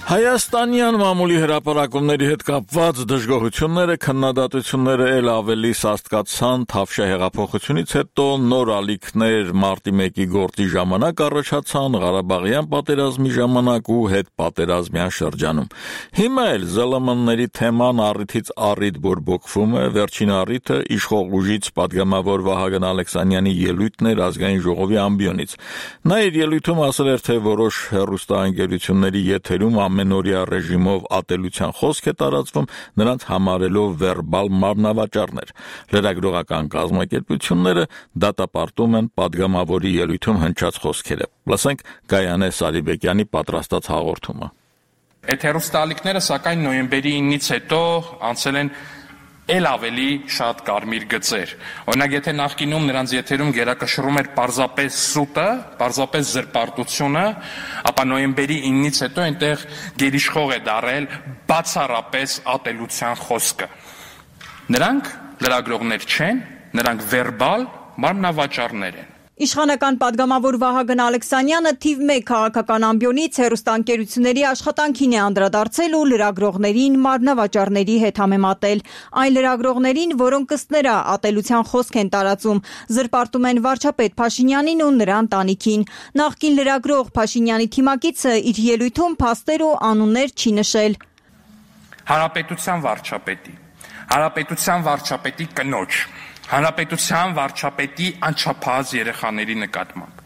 Հայաստանյան մամուլի հրապարակումների հետ կապված դժգոհությունները, քննադատությունները էլ ավելի սաստկացան Թավշյա հեղափոխությունից հետո նոր ալիքներ մարտի 1-ի գործի ժամանակ առաջացան Ղարաբաղյան պատերազմի ժամանակ ու հետպատերազմյան շրջանում։ Հիմա էլ ԶԼՄ-ների թեման առիթից առիթ բորբոքվում է, վերջին առիթը իշխող ուժից պատգամավոր Վահագն Ալեքսանյանի ելույթն էր ազգային ժողովի ամբիոնից։ Նա իր ելույթում ասել էր, թե որոշ հեռուստաընկերությունների եթերում ամենօրյա ռեժիմով ատելության խոսք է տարածվում, նրանց համարելով վերբալ մարմնավաճառներ։ Լրագրողական կազմակերպությունները դատապարտում են պատգամավորի ելույթում հնչած խոսքերը։ Լսենք Գայանե Սարիբեկյանի պատրաստած հաղորդումը։ Այդ հեռուստաալիքները սակայն նոյեմբերի 9-ից հետո անցել են էլ ավելի շատ կարմիր գծեր։ Օրինակ, եթե նախկինում նրանց եթերում գերակշռում էր պարզապես սուտը, պարզապես զրպարտությունը, ապա նոյեմբերի 9-ից հետո այնտեղ գերիշխող է դարել բացառապես ատելության խոսքը։ Նրանք լրագրողներ չեն, նրանք վերբալ մարմնավաճառներ են։ Իշխանական պատգամավոր Վահագն Ալեքսանյանը թիվ 1 քաղաքական ամբիոնից հեռուստաընկերությունների աշխատանքին է անդրադարձել ու լրագրողներին մարմնավաճառների հետ համեմատել։ Այն լրագրողներին, որոնք ըստ նրա ատելության խոսք են տարածում, զրպարտում են վարչապետ Փաշինյանին ու նրա ընտանիքին։ Նախկին լրագրող Փաշինյանի թիմակիցը իր ելույթում փաստեր ու անուններ չի նշել։ Հանրապետության վարչապետի կնոջ, Հանրապետության վարչապետի անչափահաս երեխաների նկատմամբ,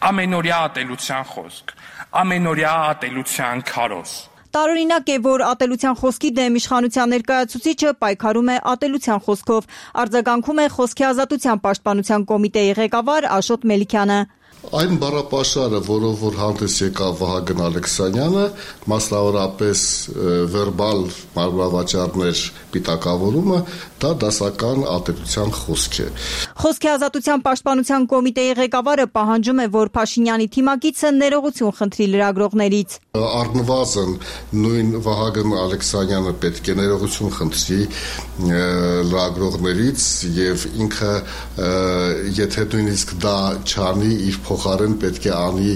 ամենօրյա ատելության խոսք, ամենօրյա ատելության քարոզ։ Տարօրինակ է, որ ատելության խոսքի դեմ իշխանության ներկայացուցիչը պայքարում է ատելության խոսքով, արձագանքում է Խոսքի ազատության պաշտպանության կոմիտեի ղեկավար Աշոտ Մելիքյանը։ Այն բառապաշարը, որով որ հանդես եկավ Վահագն Ալեքսանյանը, մասնավորապես վերբալ մարմնավաճառներ պիտակավորումը, դա դասական ատելության խոսք է։ Խոսքի ազատության պաշտպանության կոմիտեի ղեկավարը պահանջում է, որ Փաշինյանի թիմակիցը ներողություն խնդրի լրագրողներից։ Առնվազն նույն Վահագն Ալեքսանյանը պետք է ներողություն խնդրի լրագրողներից եւ ինքը եթե նույնիսկ դա չանի, իր փոխարեն պետք է անի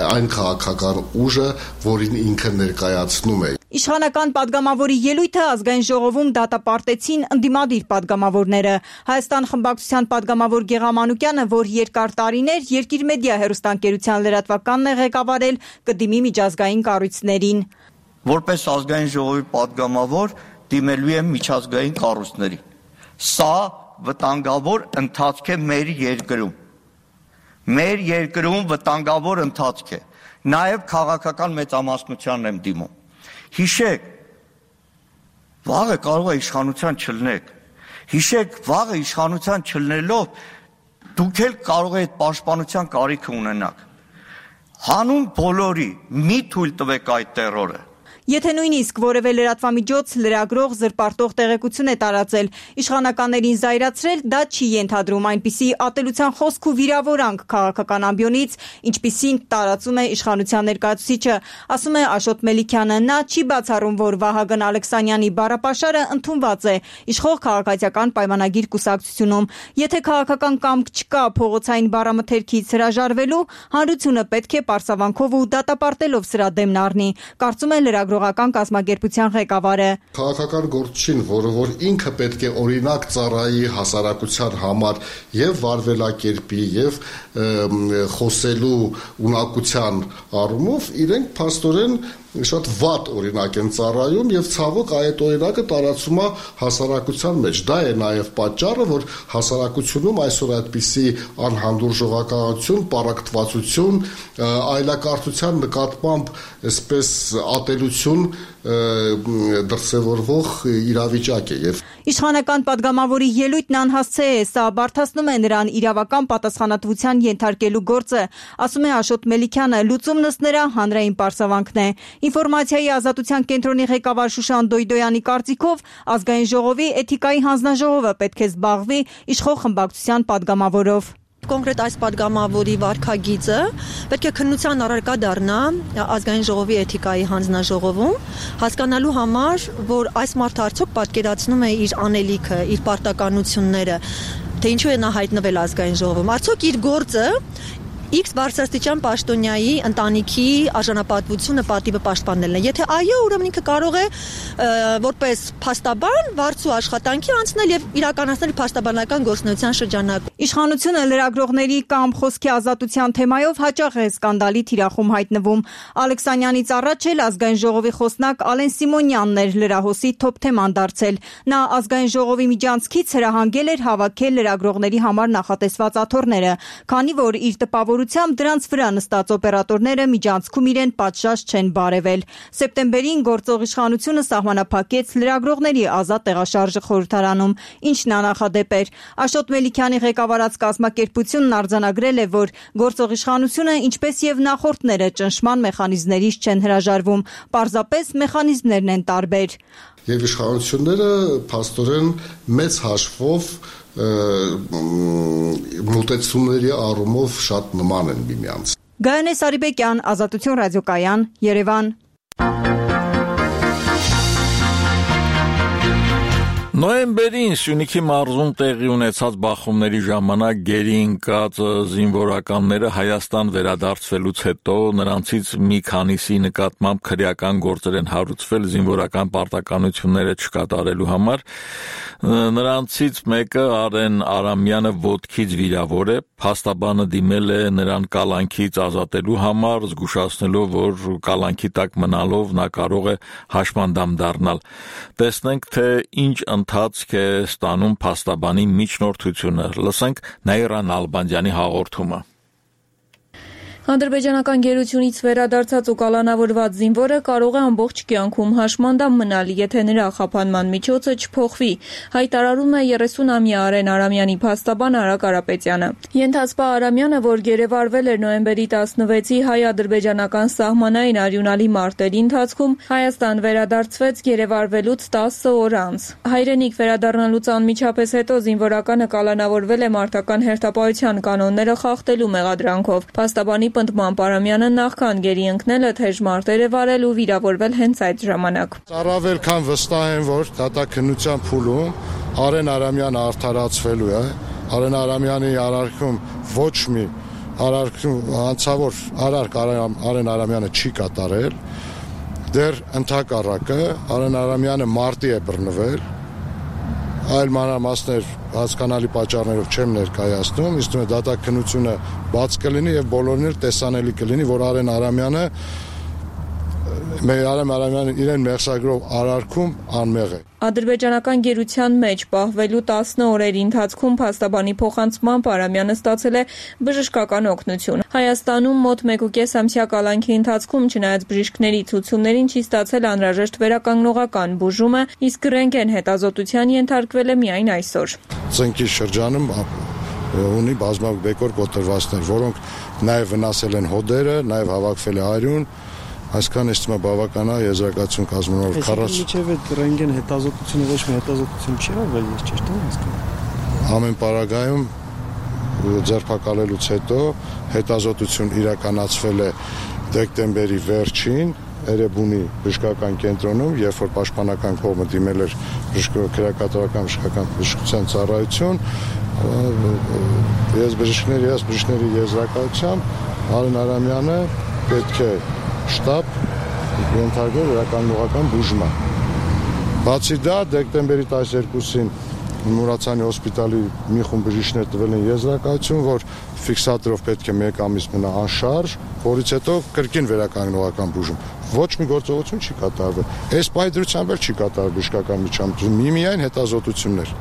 այն քաղաքական ուժը, որին ինքը ներկայացնում է։ Իշխանական պատգամավորի ելույթը ազգային ժողովում դատապարտեցին ընդդիմադիր պատգամավորները։ Հայաստան խմբակցության պատգամավոր Գեղամանուկյանը, որ երկար տարիներ Երկիր մեդիա հեռուստաընկերության լրատվականն է ղեկավարել, կդիմի միջազգային կառույցներին։ Որպես ազգային ժողովի պատգամավոր դիմելու եմ միջազգային կառույցներին։ Սա վտանգավոր ընթացք է մեր երկրում։ մեր երկրում վտանգավոր ընթացք է։ Նաև քաղաքական մեծամասնությանն եմ դիմում։ Հիշեք, վաղը կարող է իշխանության չլնեք։ Հիշեք, վաղը իշխանության չլնելով դուք էլ կարող եք պաշտպանության կարիք ունենաք։ Հանուն բոլորի մի թույլ տվեք այդ տերորը։ Եթե նույնիսկ որևէ լրատվամիջոց լրագրող զրպարտող տեղեկություն է տարածել, իշխանականներին զայրացրել, դա չի ենթադրում այնպիսի ատելության խոսք ու վիրավորանք քաղաքական ամբիոնից, ինչպիսին տարածում է իշխանության ներկայացուցիչը, ասում է Աշոտ Մելիքյանը։ Նա չի բացառում, որ Վահագն Ալեքսանյանի բառապաշարը ընդունված է իշխող քաղաքացիական պայմանագիր կուսակցությունում։ Եթե քաղաքական կամք չկա փողոցային բառամթերքից հրաժարվելու, հանրությունը պետք է պարսավանքով ու դատապարտելով սրա դեմն առնի, կարծում է լրագրողական կազմակերպության ղեկավարը։ Քաղաքական գործչին, որ ինքը պետք է օրինակ ծառայի հասարակության համար եւ վարվելակերպի եւ խոսելու ունակության առումով իրենք փաստորեն շատ վատ օրինակ են ծառայում եւ ցավոք այդ օրինակը տարածում է հասարակության մեջ։ Դա է նաեւ պատճառը, որ հասարակությունում այսօր այդպիսի անհանդուրժողականություն, պարակտվածություն, այլակարգության նկատմամբ այսպես ատելություն դրսևորվող իրավիճակ է եւ իշխանական падգամավորի ելույթն անհասցե է, սա բարդացնում է նրան իրավական պատասխանատվության ենթարկելու գործը, ասում է Աշոտ Մելիքյանը, լուծումն ըստ նրա հանրային պարսավանքն է։ Ինֆորմացիայի ազատության կենտրոնի ղեկավար Շուշան Դոյդոյանի կարծիքով ազգային ժողովի էթիկայի հանձնաժողովը պետք է զբաղվի իշխող խմբակցության падգամավորով։ Կոնկրետ այս падգամավորի վարքագիծը պետք է քննության առարկա դառնա ազգային ժողովի էթիկայի հանձնաժողովում, հասկանալու համար, որ այս մարդը արդյոք պատկերացնում է իր անելիքը, իր պարտականությունները, թե ինչու է նա հայտնվել ազգային ժողովում, արդյոք իր գործը X բարձրաստիճան պաշտոնյայի ընտանիքի արժանապատվությունը պատիվը պաշտպանելն է։ Եթե այո, ուրեմն ինքը կարող է որպես փաստաբան վարձու աշխատանքի անցնել եւ իրականացնել փաստաբանական գործունեության շրջանակում։ Իշխանությունը լրագրողների կամ խոսքի ազատության թեմայով հաճախ է սկանդալի թիրախում հայտնվում։ Ալեքսանյանից առաջ էլ ազգային ժողովի խոսնակ Ալեն Սիմոնյանն էր լրահոսի թոփ թեման դարձել։ Նա ազգային ժողովի միջանցքից հրահանգել էր հավաքել լրագրողների համար նախատեսված աթոռները, քանի որ իր տպավորությամբ դրանց վրա նստած օպերատորները միջանցքում իրեն պատշաճ չեն բարևել։ Սեպտեմբերին գործող իշխանությունը սահմանափակեց լրագրողների ազատ տեղաշարժը խորհրդարանում, ինչն աննախադեպ էր։ Աշոտ Մելիքյանի ղեկավարած կազմակերպությունն արձանագրել է, որ գործող իշխանությունը, ինչպես եւ նախորդները, ճնշման մեխանիզմներից չեն հրաժարվում, պարզապես մեխանիզմներն են տարբեր։ Եվ իշխանությունները փաստորեն մեծ հաշվով մոտեցումների առումով շատ նման են միմյանց։ Գայանե Սարիբեկյան, Ազատություն ռադիոկայան, Երևան։ Նոյեմբերին Սյունիքի մարզում տեղի ունեցած բախումների ժամանակ գերի ընկած զինվորականները Հայաստան վերադարձվելուց հետո նրանցից մի քանիսի նկատմամբ քրեական գործեր են հարուցվել զինվորական պարտականությունները չկատարելու համար։ Նրանցից մեկը Արեն Արամյանը ոտքից վիրավոր է, փաստաբանը դիմել է նրան կալանքից ազատելու համար, զգուշացնելով, որ կալանքի տակ մնալով նա կարող է հաշմանդամ դառնալ։ Տեսնենք, թե ինչ ընթացք է ստանում փաստաբանի միջնորդությունը։ Լսենք Նաիրա Նալբանդյանի հաղորդումը։ Ադրբեջանական գերությունից վերադարձած ու կալանավորված զինվորը կարող է ամբողջ կյանքում հաշմանդամ մնալ, եթե նրա խափանման միջոցը չփոխվի, հայտարարում է 30-ամյա Արեն Արամյանի փաստաբան Արա Կարապետյանը։ Ենթասպա Արամյանը, որ գերեվարվել էր նոյեմբերի 16-ի հայ-ադրբեջանական սահմանային արյունալի մարտերի ընթացքում, Հայաստան վերադարձվեց գերեվարվելուց 10 օր անց։ Հայրենիք վերադառնալուց անմիջապես հետո զինվորականը կալանավորվել է մարտական հերթապահության կանոնները խախտելու մեղադրանքով։ Փաստաբանի պնդմամբ Արամյանը նախքան գերի ընկնելը թեժ մարտեր է վարել ու վիրավորվել հենց այդ ժամանակ։ Առավել քան վստահ եմ, որ դատաքննության փուլում Արեն Արամյանը արդարացվելու է։ Արեն Արամյանի արարքում ոչ մի հանցավոր արարք Արեն Արամյանը չի կատարել։ Դեռ ընդհակառակը Արեն Արամյանը մարտի է բռնվել։ Այլ մանրամասներ հասկանալի պատճառներով չեմ ներկայացնում, իսկ դատաքննությունը բաց կլինի եւ բոլորին էլ տեսանելի կլինի, որ Արեն Արամյանը Մեր Արամ Արամյանը իրեն մեղսագրով արարքում անմեղ է։ Ադրբեջանական գերության մեջ պահվելու 10 օրերի ընթացքում փաստաբանի փոխանցմամբ Արամյանը ստացել է բժշկական օգնություն։ Հայաստանում մոտ 1.5 ամսյա կալանքի ընթացքում չնայած բժիշկների ցուցումներին չի ստացել անհրաժեշտ վերականգնողական բուժումը, իսկ ռենտգեն հետազոտության ենթարկվել է միայն այսօր։ Ծնկի շրջանում ունի բազմակ բեկոր կոտրվածներ, որոնք նաև վնասել են հոդերը, նաև հավաքվել է արյուն, այսքան էստիմա բավական է եզրակացություն կազմելով 40։ Միջև այդ ռենտգեն հետազոտությունը ոչ մի հետազոտություն չի արվել, ես ճիշտ եմ հասկանում։ Ամեն պարագայում ձերբակալելուց հետո հետազոտություն իրականացվել է դեկտեմբերի վերջին Էրեբունի բժշկական կենտրոնում, երբ որ պաշտպանական կողմը դիմել էր քրեակատարական բժշկական բժշկության ծառայություն, ես բժիշկների եզրակացությամբ Արեն Արամյանը պետք է շտաբ ենթարկել վերականգնողական բուժման։ Բացի դա, դեկտեմբերի 12-ին Մուրացյանի հոսպիտալի մի խումբ բժիշկներ տվել են եզրակացություն, որ ֆիքսատորով պետք է 1 ամիս մնա անշարժ, որից հետո կրկին վերականգնողական բուժում։ Ոչ մի գործողություն չի կատարվել։ Այս պայծրությամբ էլ չի կատարվել բժշկական միջամտություն, միայն հետազոտություններ։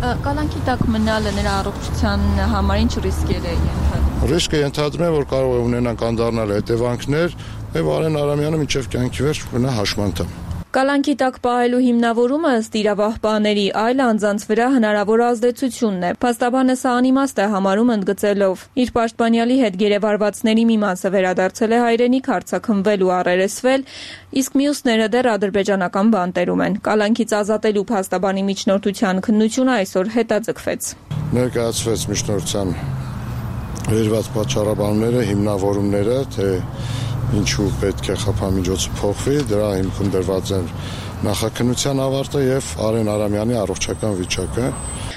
Կալանքի տակ մնալը նրա առողջության համար ինչ ռիսկեր է ենթադրում։ Ռիսկը ենթադրում է, որ կարող է ունենան կանդառնալ հետևանքներ, եւ Արեն Արամյանը մինչև կյանքի վերջ մնա հաշմանդամ։ Կալանքի տակ պահելու հիմնավորումը ըստ իրավապահների այլ անձանց վրա հնարավոր ազդեցությունն է։ Փաստաբանը սա անիմաստ է համարում ընդգծելով. իր պաշտպանյալի հետ գերեվարվածների մի մասը վերադարձել է հայրենիք, արձակնվել ու առերեսվել, իսկ մյուսները դեռ ադրբեջանական բանտերում են։ Կալանքից ազատելու փաստաբանի միջնորդության քննությունը այսօր հետաձգվեց։ Ներկայացվեց միջնորդության վերված պատճառաբանները, հիմնավորումները, թե ինչու պետք է խափամիջոցը փոխվի, դրա հիմքում դրված են նախաքննության ավարտը եւ Արեն Արամյանի առողջական վիճակը։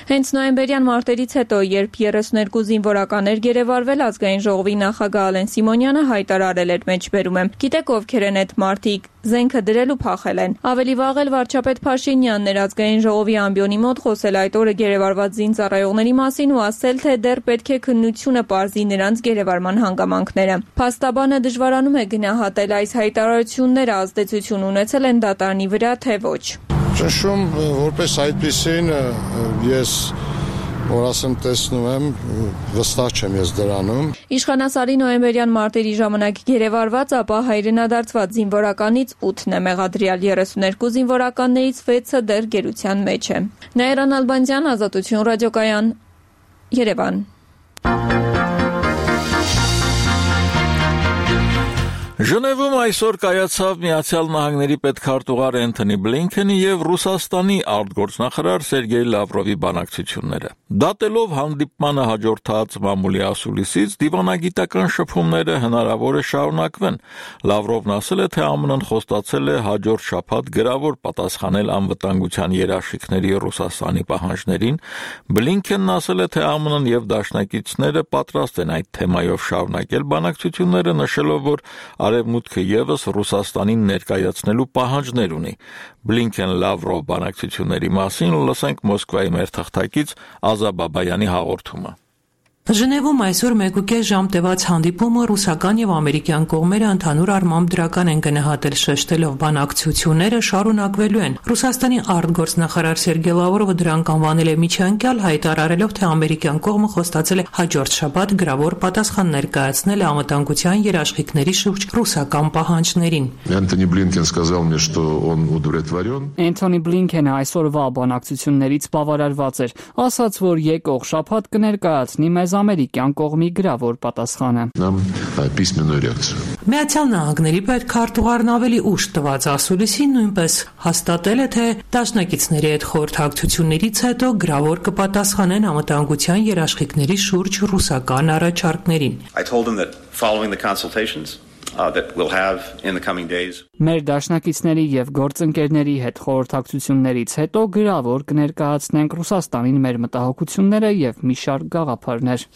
Հենց նոյեմբերյան մարտերից հետո, երբ 32 զինվորականներ գերեվարվել, ազգային ժողովի նախագահ Ալեն Սիմոնյանը հայտարարել էր մեջբերում եմ. Գիտեք ովքեր են այդ մարդիկ, զենքը դրել ու փախել են։ Ավելի վաղ էլ վարչապետ Փաշինյանն էր ազգային ժողովի ամբիոնի մոտ խոսել այդ օրը գերեվարված զինծառայողների մասին ու ասել, թե դեռ պետք է քննությունը պարզի նրանց գերեվարման հանգամանքները։ Փաստաբանը դժվարանում է գնահատել այս հայտարարությունները ազդեցություն ունեցել են դատարանի վրա, թե ոչ։ Ճնշում որպես այդպիսին ես որ ասեմ տեսնում եմ, վստահ չեմ ես դրանում։ Իշխանասարի նոյեմբերյան մարտերի ժամանակ գերեվարված, ապա հայրենադարձված զինվորականից 8-ն է մեղադրյալ, 32 զինվորականներից 6-ը դեռ գերության մեջ է։ Նաիրան Ալբանդյան, Ազատություն ռադիոկայան, Երևան։ Ժնևում այսօր կայացավ Միացյալ Նահանգների պետքարտուղար Էնթոնի Բլինքենի եւ Ռուսաստանի արտգործնախարար Սերգեյ Լավրովի բանակցությունները։ Դատելով հանդիպմանը հաջորդած մամուլի ասուլիսից, դիվանագիտական շփումները հնարավոր է շարունակվեն։ Լավրովն ասել է, թե ԱՄՆ-ն խոստացել է հաջորդ շաբաթ գրավոր պատասխանել անվտանգության երաշխիքների Ռուսաստանի պահանջներին։ Բլինքենն ասել է, թե ԱՄՆ-ն եւ դաշնակիցները պատրաստ են այդ թեմայով շարունակել բանակցությունները, նշելով, որ Արևմուտքը եւս Ռուսաստանին ներկայացնելու պահանջներ ունի։ Բլինքեն-Լավրով բանակցությունների մասին լսենք Մոսկվայի մեր թղթակից Ազա Բաբայանի հաղորդումը։ Ժնևում այսօր 1.5 ժամ տևած հանդիպումը ռուսական եւ ամերիկյան կողմերը ընդհանուր առմամբ դրական են գնահատել, շեշտելով բանակցությունները շարունակվելու են։ Ռուսաստանի արտգործնախարար Սերգեյ Լավրովը դրանք անվանել է միջանկյալ, հայտարարելով, թե ամերիկյան կողմը խոստացել է հաջորդ շաբաթ գրավոր պատասխան ներկայացնել անվտանգության երաշխիքների շուրջ ռուսական պահանջներին։ Энтони Блинкен сказал мне, что он удовлетворен. Էնթոնի Բլինքենը այսօրվա բանակցություններից բավարարված էր, ասաց, որ եկող շաբաթ կներկայացնի մեզ ամերիկյան կողմի գրավոր պատասխանը։ Միացյալ Նահանգների պետքարտուղարն ավելի ուշ տված ասուլիսին նույնպես հաստատել է, թե դաշնակիցների հետ խորհրդակցություններից հետո գրավոր կպատասխանեն անվտանգության երաշխիքների շուրջ ռուսական առաջարկներին։ That we'll have in the coming days. Մեր դաշնակիցների եւ գործընկերների հետ խորհրդակցություններից հետո գրավոր կներկայացնենք Ռուսաստանին մեր մտահոգությունները եւ մի շարք գաղափարներ.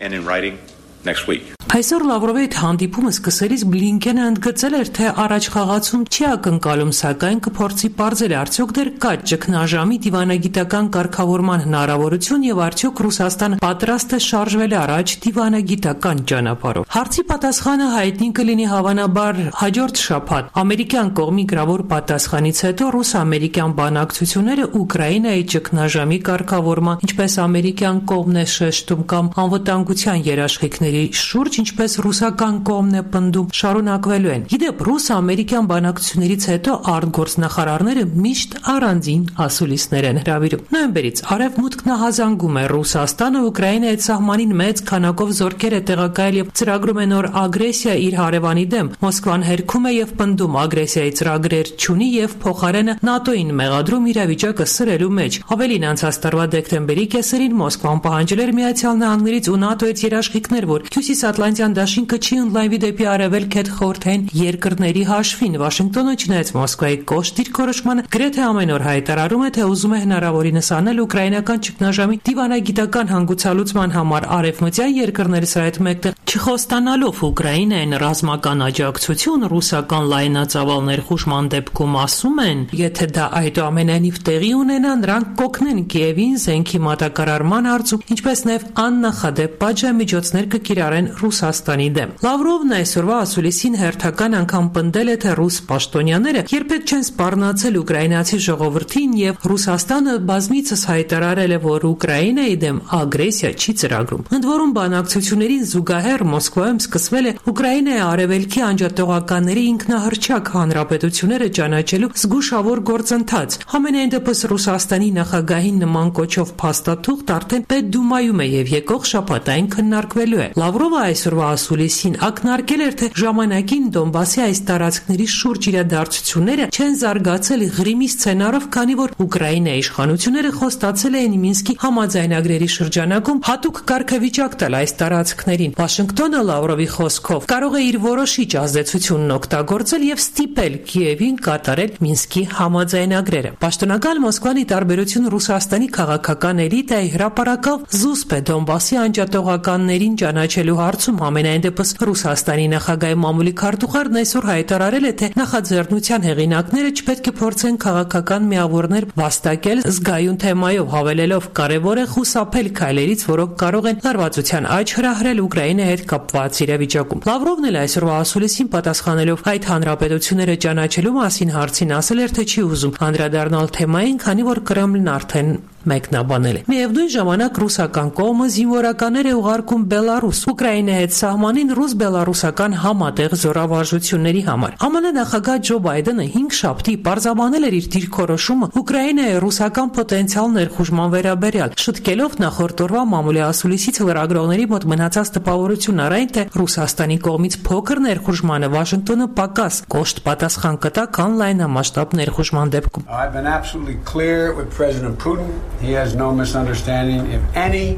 And in writing next week. Այսօր Լավրովի հետ հանդիպումը սկսելիս Բլինկենը ընդգծել էր, թե առաջ խաղացում չի ակնկալում, սակայն կփորձի պարզել արդյոք դեռ կա ճգնաժամի դիվանագիտական կարգավորման հնարավորություն եւ արդյոք Ռուսաստանը պատրաստ է շարժվել առաջ դիվանագիտական ճանապարհով։ Հարցի պատասխանը հայտնի կլինի հավանաբար հաջորդ շաբաթ։ Ամերիկյան կողմի գրավոր պատասխանից հետո ռուս-ամերիկյան բանակցությունները Ուկրաինայի ճգնաժամի կարգավորման, ինչպես ամերիկյան կողմն է շեշտում կամ անվտանգության երաշխիքների շուրջ, ինչպես ռուսական կողմն է պնդում, շարունակվելու են։ Իդեպ ռուս-ամերիկյան բանակցություններից հետո արտգործնախարարները միշտ առանձին ասուլիսներ են հրավիրում։ Նոյեմբերից արևմուտքն ահազանգում է Ռուսաստանը Ուկրաինայի սահմանին մեծ քանակով զորքեր է տեղակայել եւ ծրագրում է նոր ագրեսիա իր հարևանի դեմ։ Մոսկվան հերքում է եւ պնդում ագրեսիայի ծրագրեր չունի եւ փոխարենը ՆԱՏՕ-ին մեղադրում իրավիճակը սրելու մեջ։ Ավելին, անցած տարվա դեկտեմբերի կեսերին Մոսկվան պահանջել էր Միացյալ Նահանգներից ու ՆԱՏՕ-ից երաշխիքներ, որ Հյուսիսատլանտյան դաշինքը չի ընդլայնվի դեպի արևելք հետ խորհրդային երկրների հաշվին։ Վաշինգտոնը, չնայած Մոսկվայի կոշտ դիրքորոշմանը, գրեթե ամեն օր հայտարարում է, թե ուզում է հնարավորինս անել ուկրաինական ճգնաժամի դիվանագիտական հանգուցալուծման համար արևմտյան երկրներից այդ մեկը չխոստանալով Ուկրաինային ռազմական աջակցություն ռուսական լայնածավալ ներխուժման դեպքում ասում են, եթե դա այդուամենայնիվ տեղի ունենա, նրանք կօգնեն Կիևին զենքի մատակարարման հարցում, ինչպես նաև աննախադեպ պատժամիջոցներ կկիրառեն Ռուսաստանի դեմ։ Լավրովն այսօրվա ասուլիսին հերթական անգամ պնդել է, թե ռուս պաշտոնյաները երբեք չեն սպառնացել ուկրաինացի ժողովրդին եւ Ռուսաստանը բազմիցս հայտարարել է, որ Ուկրաինայի դեմ ագրեսիա չի ծրագրում։ Ընդ որում բանակցություններին զուգահեռ Մոսկվայում սկսվել է Ուկրաինայի արևելքի անջատողականների ինքնահռչակ հանրապետությունները ճանաչելու զգուշավոր գործընթաց։ Համենայն դեպս Ռուսաստանի նախագահին նման կոչով փաստաթուղթ արդեն Պետդումայում է եւ եկող շաբաթ այն քննարկվելու է։ Լավրովը այսօրվա ասուլիսին ակնարկել էր, թե ժամանակին Դոնբասի այս տարածքների շուրջ իրադարձությունները չեն զարգացել Ղրիմի սցենարով, քանի որ Ուկրաինայի իշխանությունները խոստացել էին Մինսկի համաձայնագրերի շրջանակում հատուկ կարգավիճակ տալ այս տարածքներին։ Վաշինգտոնը Լավրովի խոսքով կարող է իր որոշիչ ազդեցությունն օգտագործել եւ ստիպել Կիևին կատարել Մինսկի համաձայնագրերը։ Պաշտոնական Մոսկվան, ի տարբերություն Ռուսաստանի քաղաքական էլիտայի, հրապարակավ զուսպ է Դոնբասի անջատողականներին ճանաչելու հարցում։ Ամենայն դեպս Ռուսաստանի նախագահի մամուլի քարտուղարն այսօր հայտարարել է, թե նախաձեռնության հեղինակները չպետք է փորձեն քաղաքական միավորներ վաստակել զգայուն թեմայով, հավելելով կարևոր է խուսափել քայլերից, որոնք կարող են լարվածության աճ հրահրել Ուկրաինայի հետ կապված իրավիճակում։ Լավրովն էլ այսօրվա ասուլիսին պատասխանելով այդ հանրապետությունները ճանաչելու մասին հարցին ասել էր, թե չի ուզում անդրադառնալ թեմային, քանի որ Կրեմլն արդեն մեկնաբանել է։ Միևնույն ժամանակ ռուսական կողմը զինվորականներ է ուղարկում Բելարուս, Ուկրաինայի հետ սահմանին ռուս-բելարուսական համատեղ զորավարժությունների համար։ ԱՄՆ նախագահ Ջո Բայդենը 5 շաբթի պարզաբանել էր իր դիրքորոշումը Ուկրաինայի ռուսական պոտենցիալ ներխուժման վերաբերյալ, շտկելով նախորդ օրվա մամուլի ասուլիսից լրագրողների մոտ մնացած տպավորությունն առայն, թե Ռուսաստանի կողմից փոքր ներխուժմանը Վաշինգտոնը պակաս կոշտ պատասխան կտա, քան լայնամասշտաբ ներխուժման դեպքում։ I've been absolutely clear with President Putin. He has no misunderstanding. If any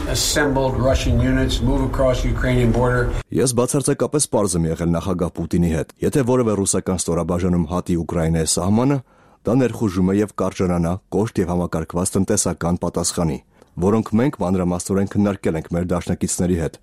assembled Russian units move across the Ukrainian border. Ես բացարձակապես պարզ եմ եղել նախագահ Պուտինի հետ։ Եթե որևէ ռուսական ստորաբաժանում հատի Ուկրաինայի սահմանը, դա ներխուժում է եւ կարժանանա կոշտ եւ համակարգված տնտեսական պատասխանի, որոնք մենք մանրամասնորեն քննարկել ենք մեր դաշնակիցների հետ,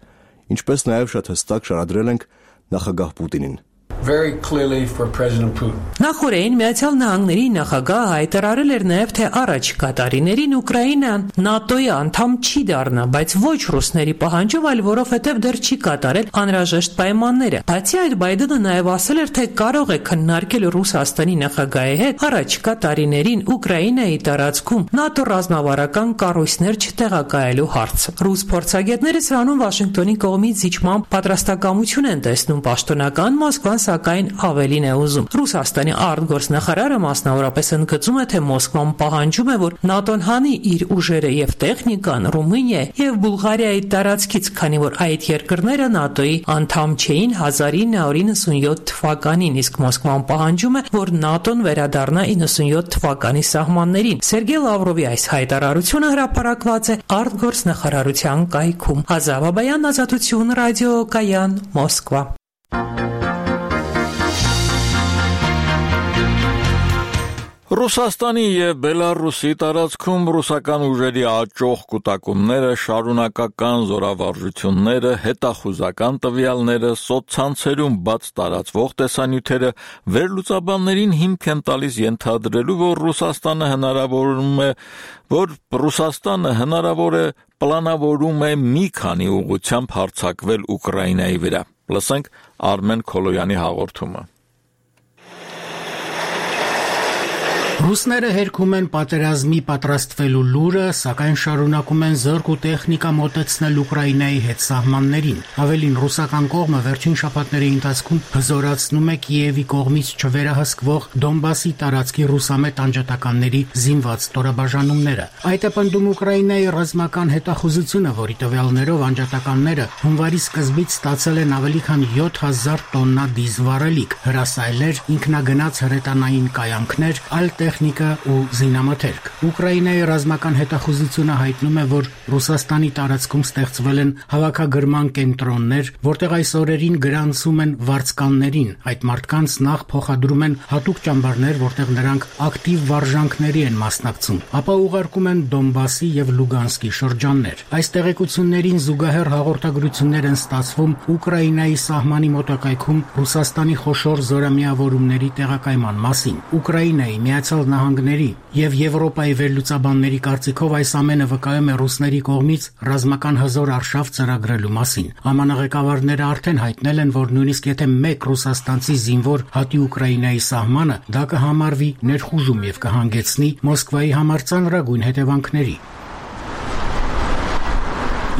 ինչպես նաեւ շատ հստակ շարադրել ենք նախագահ Պուտինին։ Very clearly for President Putin. Նախորդին Միացյալ Նահանգների նախագահը հայտարարել էր նաև, թե առաջիկա տարիներին Ուկրաինան ՆԱՏՕ-ի անդամ չի դառնա, բայց ոչ ռուսների պահանջով, այլ որովհետև դեռ չի կատարել անհրաժեշտ պայմանները։ Բացի այդ, Բայդենը նաև ասել էր, թե կարող է քննարկել Ռուսաստանի նախագահի հետ առաջիկա տարիներին Ուկրաինայի տարածքում ՆԱՏՕ ռազմավարական կառույցներ չտեղակայելու հարցը։ Ռուս փորձագետները սրանում Վաշինգտոնի կողմից զիջման պատրաստակամություն են տեսնում, պաշտոնական Մոսկվան սակայն ավելին է ուզում։ Ռուսաստանի արտգործնախարարը մասնավորապես ընդգծում է, թե Մոսկվան պահանջում է, որ ՆԱՏՕ-ն հանի իր ուժերը եւ տեխնիկան Ռումինիա եւ Բուլղարիայի տարածքից, քանի որ այդ երկրները ՆԱՏՕ-ի անդամ չէին 1997 թվականին, իսկ Մոսկվան պահանջում է, որ ՆԱՏՕ-ն վերադառնա 97 թվականի սահմաններին։ Սերգեյ Լավրովի այս հայտարարությունը հրապարակված է արտգործնախարարության կայքում։ Ազավ Աբայան, Ազատություն, ռադիոկայան, Ռուսաստանի եւ Բելարուսի տարածքում ռուսական ուժերի աճող կուտակումները, շարունակական զորավարժությունները, հետախուզական տվյալները, սոցցանցերում բաց տարածվող տեսանյութերը վերլուծաբաններին հիմք են տալիս ենթադրելու, որ Ռուսաստանը հնարավոր է պլանավորում է մի քանի ուղղությամբ հարձակվել Ուկրաինայի վրա։ Լսենք Արմեն Քոլոյանի հաղորդումը։ Ռուսները հերքում են պատերազմի պատրաստվելու լուրը, սակայն շարունակում են զորք ու տեխնիկա մոտեցնել Ուկրաինայի հետ սահմաններին։ Ավելին, ռուսական կողմը վերջին շաբաթների ընթացքում հզորացնում է Կիևի կողմից չվերահսկվող Դոնբասի տարածքի ռուսամետ անջատականների զինված ստորաբաժանումները։ Այդ է պնդում Ուկրաինայի ռազմական հետախուզությունը, որի տվյալներով անջատականները հունվարի սկզբից ստացել են ավելի քան 7000 տոննա դիզվառելիք, հրասայլեր, ինքնագնաց հրետանային կայանքներ, այլ տեխնիկա ու զինամթերք։ Ուկրաինայի ռազմական հետախուզությունը հայտնում է, որ Ռուսաստանի տարածքում ստեղծվել են հավաքագրման կենտրոններ, որտեղ այս օրերին գրանցում են վարձկաններին։ Այդ մարդկանց նախ փոխադրում են հատուկ ճամբարներ, որտեղ նրանք ակտիվ վարժանքների են մասնակցում, ապա ուղարկում են Դոնբասի եւ Լուգանսկի շրջաններ։ Այս տեղեկություններին զուգահեռ հաղորդագրություններ են ստացվում Ուկրաինայի սահմանի մոտակայքում Ռուսաստանի խոշոր զորամիավորումների տեղակայման մասին։ Ուկրաինայի Միացյալ Նահանգների եւ Եվրոպայի վերլուծաբանների կարծիքով այս ամենը վկայում է ռուսների կողմից ռազմական հզոր արշավ ծրագրելու մասին։ ԱՄՆ ղեկավարները արդեն հայտնել են, որ նույնիսկ եթե մեկ ռուսաստանցի զինվոր հատի Ուկրաինայի սահմանը, դա կհամարվի ներխուժում եւ կհանգեցնի Մոսկվայի համար ծանրագույն հետևանքների։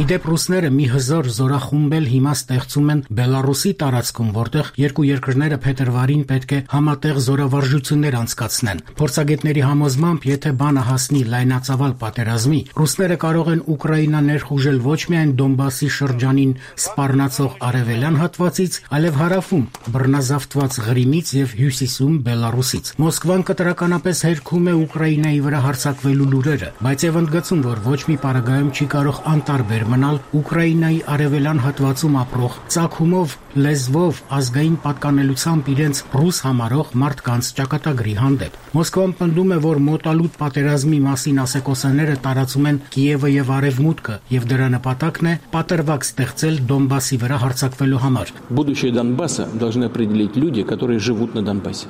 Իդեպ ռուսները մի հզոր զորախումբ էլ հիմա ստեղծում են Բելարուսի տարածքում, որտեղ երկու երկրները փետրվարին պետք է համատեղ զորավարժություններ անցկացնեն։ Փորձագետների համոզմամբ, եթե բանը հասնի լայնածավալ պատերազմի, ռուսները կարող են Ուկրաինա ներխուժել ոչ միայն Դոնբասի շրջանին սպառնացող արևելյան հատվածից, այլև հարավում բռնազավթված Ղրիմից եւ հյուսիսում Բելարուսից։ Մոսկվան կտրականապես հերքում է Ուկրաինայի վրա հարձակվելու լուրերը, բայց եւ ընդգծում, որ ոչ մի պարագայում չի կարող անտարբեր մնալ Ուկրաինայի արևելյան հատվածում ապրող ծագումով, լեզվով, ազգային պատկանելությամբ իրենց ռուս համարող մարդկանց ճակատագրի հանդեպ։ Մոսկվան պնդում է, որ մոտալուտ պատերազմի մասին ասեկոսաները տարածում են Կիևը եւ Արևմուտքը, եւ դրա նպատակն է պատրվակ ստեղծել Դոնբասի վրա հարձակվելու համար։ Будущее Донбасса должны определить люди, которые живут на Донбассе.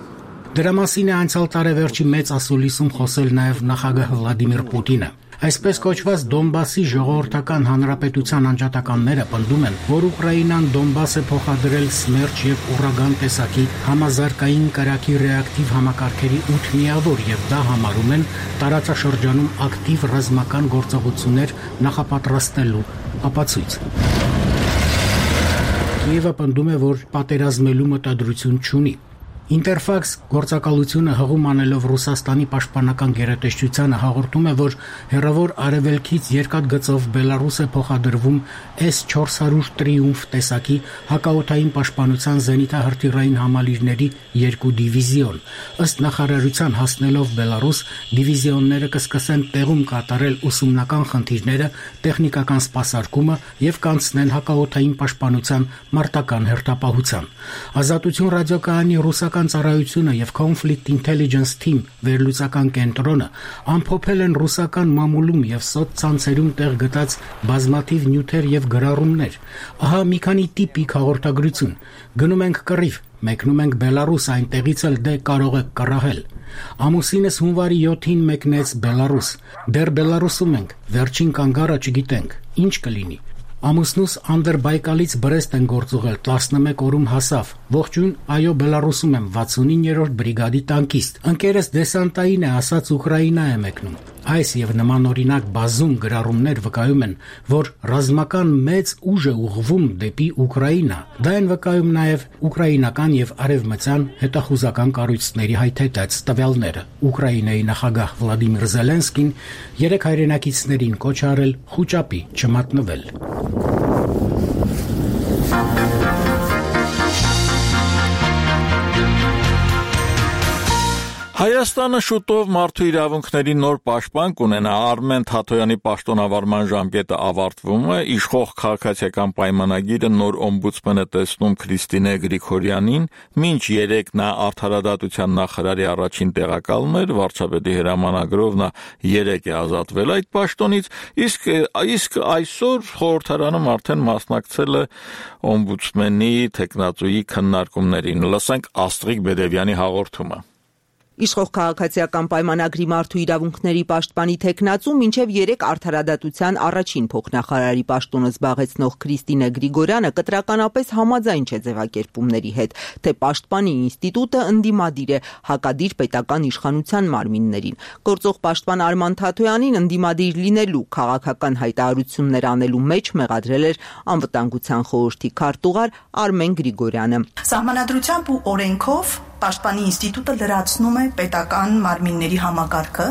Դրա մասին է անցյալ տարեվերջի մեծ ասուլիսում խոսել նաև նախագահ Վլադիմիր Պուտինը։ Այսպես կոչված Դոնբասի ժողովրդական հանրապետության անջատականները պնդում են, որ Ուկրաինան Դոնբաս է փոխադրել Սմերչ եւ Ուրագան տեսակի համազարգային կրակի ռեակտիվ համակարգերի 8 միավոր եւ դա համարում են տարածաշրջանում ակտիվ ռազմական գործողություններ նախապատրաստելու ապացույց։ Կիևը պնդում է, որ պատերազմելու մտադրություն չունի։ Ինտերֆաքս գործակալությունը հղում անելով Ռուսաստանի պաշտպանական գերատեսչությանը հաղորդում է, որ հեռավոր արևելքից երկաթգծով Բելարուս է փոխադրվում S-400 Տրիումֆ տեսակի հակաօդային պաշտպանության զենիթահրթիռային համալիրների 2 դիվիզիոն։ Ըստ նախարարության հասնելով Բելարուս, դիվիզիոնները կսկսեն տեղում կատարել ուսումնական խնդիրները, տեխնիկական սպասարկումը եւ կանցնեն հակաօդային պաշտպանության մարտական հերթապահության։ Ազատություն ռադիոկայանի ռուսական ծառայությունը եւ Conflict Intelligence Team վերլուծական կենտրոնը ամփոփել են ռուսական մամուլում եւ սոցցանցերում տեղ գտած բազմաթիվ նյութեր եւ գրառումներ։ Ահա մի քանի տիպիկ հաղորդագրություն։ Գնում ենք կռիվ, մեկնում ենք Բելարուս, այնտեղից էլ դե կարող եք կռահել։ Ամուսինս հունվարի 7-ին մեկնեց Բելարուս։ Դեռ Բելարուսում ենք, վերջին կանգառը չգիտենք, ինչ կլինի։ Ամուսնուս Անդերբայկալից Բրեստ են գործուղել, 11 օրում հասավ։ Ողջույն, այո, Բելարուսում եմ, 69-րդ բրիգադի տանկիստ։ Ընկերս դեսանտային է, ասաց Ուկրաինա է մեկնում։ Այս եւ նմանօրինակ բազում գրառումներ վկայում են, որ ռազմական մեծ ուժ է ուղղվում դեպի Ուկրաինա։ Դա են վկայում նաեւ ուկրաինական եւ արևմտյան հետախուզական կառույցների հայթայթած տվյալները։ Ուկրաինայի նախագահ Վլադիմիր Զելենսկին 3 հայրենակիցներին կոչ արել խուճապի չմատնվել։ Հայաստանը շուտով մարդու իրավունքների նոր պաշտպան կունենա։ Արմեն Թաթոյանի պաշտոնավարման ժամկետը ավարտվում է, իշխող քաղաքացիական պայմանագիրը նոր օմբուդսմենը տեսնում Քրիստինե Գրիգորյանին, մինչ 3 նա արդարադատության նախարարի առաջին տեղակալն էր, վարչապետի հրամանագրով նա 3 է ազատվել այդ պաշտոնից, իսկ այսօր խորհրդարանում արդեն մասնակցել է օմբուդսմենի թեկնածուի քննարկումներին։ Լսենք Աստրիկ Բեդևյանի հաղորդումը։ Իշխող քաղաքացիական պայմանագրի մարդու իրավունքների պաշտպանի թեկնածու մինչև 3 արդարադատության առաջին փոխնախարարի պաշտոնը զբաղեցնող Քրիստինե Գրիգորյանը կտրականապես համաձայն չէ ձևակերպումների հետ, թե պաշտպանի ինստիտուտը ընդդիմադիր է հակադիր պետական իշխանության մարմիններին։ Գործող պաշտպան Արման Թաթոյանին ընդդիմադիր լինելու քաղաքական հայտարարություններ անելու մեջ մեղադրել էր անվտանգության խորհրդի քարտուղար Արմեն Գրիգորյանը։ Սահմանադրությամբ ու օրենքով Պաշտպանի ինստիտուտը լրացնում է պետական մարմինների համակարգը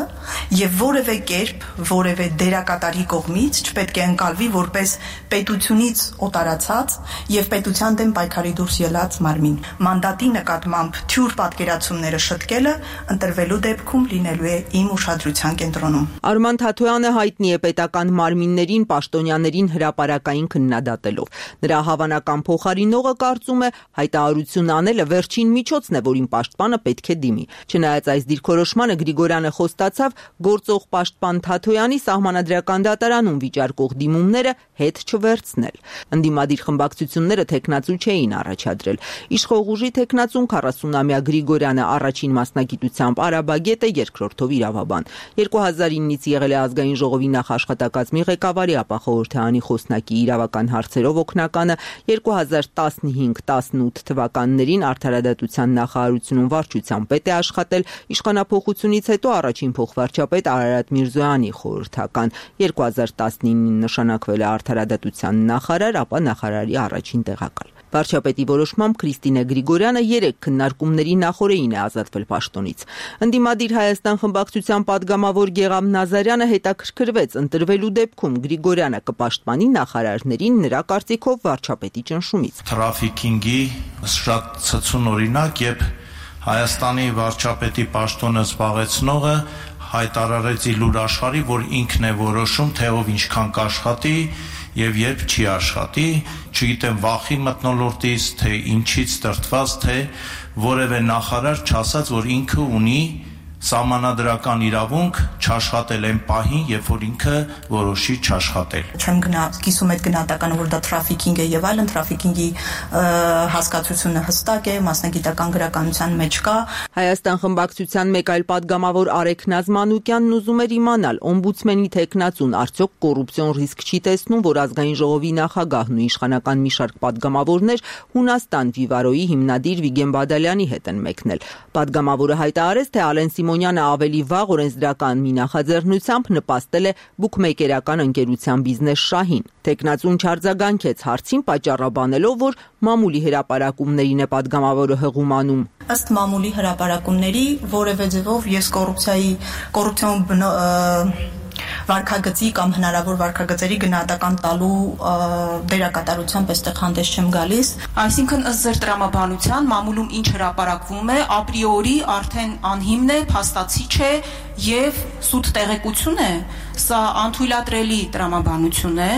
եւ որևէ կերպ, որևէ դերակատարի կողմից չպետք է ընկալվի որպես պետությունից օտարացած եւ պետության դեմ պայքարի դուրս ելած մարմին։ Մանդատի նկատմամբ թյուր պատկերացումները շտկելը ընտրվելու դեպքում լինելու է իմ ուշադրության կենտրոնում։ Արման Թաթոյանը հայտնի է պետական մարմիններին պաշտոնյաներին հրապարակային քննադատելով։ Նրա հավանական փոխարինողը կարծում է հայտարարություն անելը վերջին միջոցն է, որին պաշտպանը պետք է դիմի։ Չնայած այս դիրքորոշմանը Գրիգորյանը խոստացավ գործող պաշտպան Թաթոյանի սահմանադրական դատարանում վիճարկող դիմումները հետ չվերցնել։ Ընդդիմադիր խմբակցությունները թեկնածու չէին առաջադրել։ Իշխող ուժի թեկնածուն 40-ամյա Գրիգորյանը առաջին մասնագիտությամբ արաբագետ է, երկրորդով իրավաբան։ 2009-ից եղել է ազգային ժողովի նախաշխատակազմի ղեկավարի, ապա խորհրդարանի խոսնակի իրավական հարցերով օգնականը, 2015-18 թվականներին արդարադատության նախարարությունում վարչության պետ է աշխատել, իշխանափոխությունից հետո առաջին փոխվարչապետ Արարատ Միրզոյանի խորհրդական, 2019-ին նշանակվել է արդարադատության նախարար, ապա նախարարի առաջին տեղակալ։ Վարչապետի որոշմամբ Քրիստինե Գրիգորյանը 3 քննարկումների նախօրեին է ազատվել պաշտոնից։ Ընդդիմադիր Հայաստան խմբակցության падգամավոր Գեղամ Նազարյանը հետաքրքրվեց ընտրվելու դեպքում Գրիգորյանը կպաշտպանի նախարարներին նրա կարծիքով վարչապետի ճնշումից։ Թրաֆիքինգի շատ ցցուն օրինակ, երբ Հայաստանի վարչապետի պաշտոնը զբաղեցնողը հայտարարեց լուր աշխարհի, որ ինքն է որոշում, թե ով ինչքան կաշխատի եւ երբ չի աշխատի, չգիտեմ վախի մթնոլորտից, թե ինչից դրդված, թե որևէ նախարար չասած, որ ինքը ունի սահմանադրական իրավունք չաշխատել այն պահին, երբ որ ինքը որոշի չաշխատել։ Չեմ կիսում այդ գնահատականը, որ դա թրաֆիքինգ է եւ այլն, թրաֆիքինգի հասկացությունը հստակ է, մասնագիտական գրականության մեջ կա։ Հայաստան խմբակցության մեկ այլ падգամավոր Արեգ Նազմանուկյանն ուզում էր իմանալ, օմբուդսմենի թեկնածուն արդյոք կոռուպցիոն ռիսկ չի տեսնում, որ ազգային ժողովի նախագահն ու իշխանական մի շարք падգամավորներ Հունաստան Վիվարոյի հիմնադիր Վիգեն Բադալյանի հետ են մեկնել։ Падգամավորը հայտարարեց, թե Ալեն Սիմոնյանը ավելի վաղ օրենսդրական մի նախաձեռնությամբ նպաստել է բուքմեյքերական ընկերության բիզնես շահին։ Թեկնածուն չարձագանքեց հարցին, պատճառաբանելով, որ մամուլի հրապարակումներին է падգամավորը հղում անում։ Ըստ մամուլի հրապարակումների որևէ ձևով ես կոռուպցիոն վարքագծի կամ հնարավոր վարքագծերի գնահատական տալու դերակատարությամբ այստեղ հանդես չեմ գալիս։ Այսինքն ըստ ձեր տրամաբանության մամուլում ինչ հրապարակվում է, ապրիորի արդեն անհիմն է, փաստացի չէ եւ սուտ տեղեկություն է։ Սա անթույլատրելի տրամաբանություն է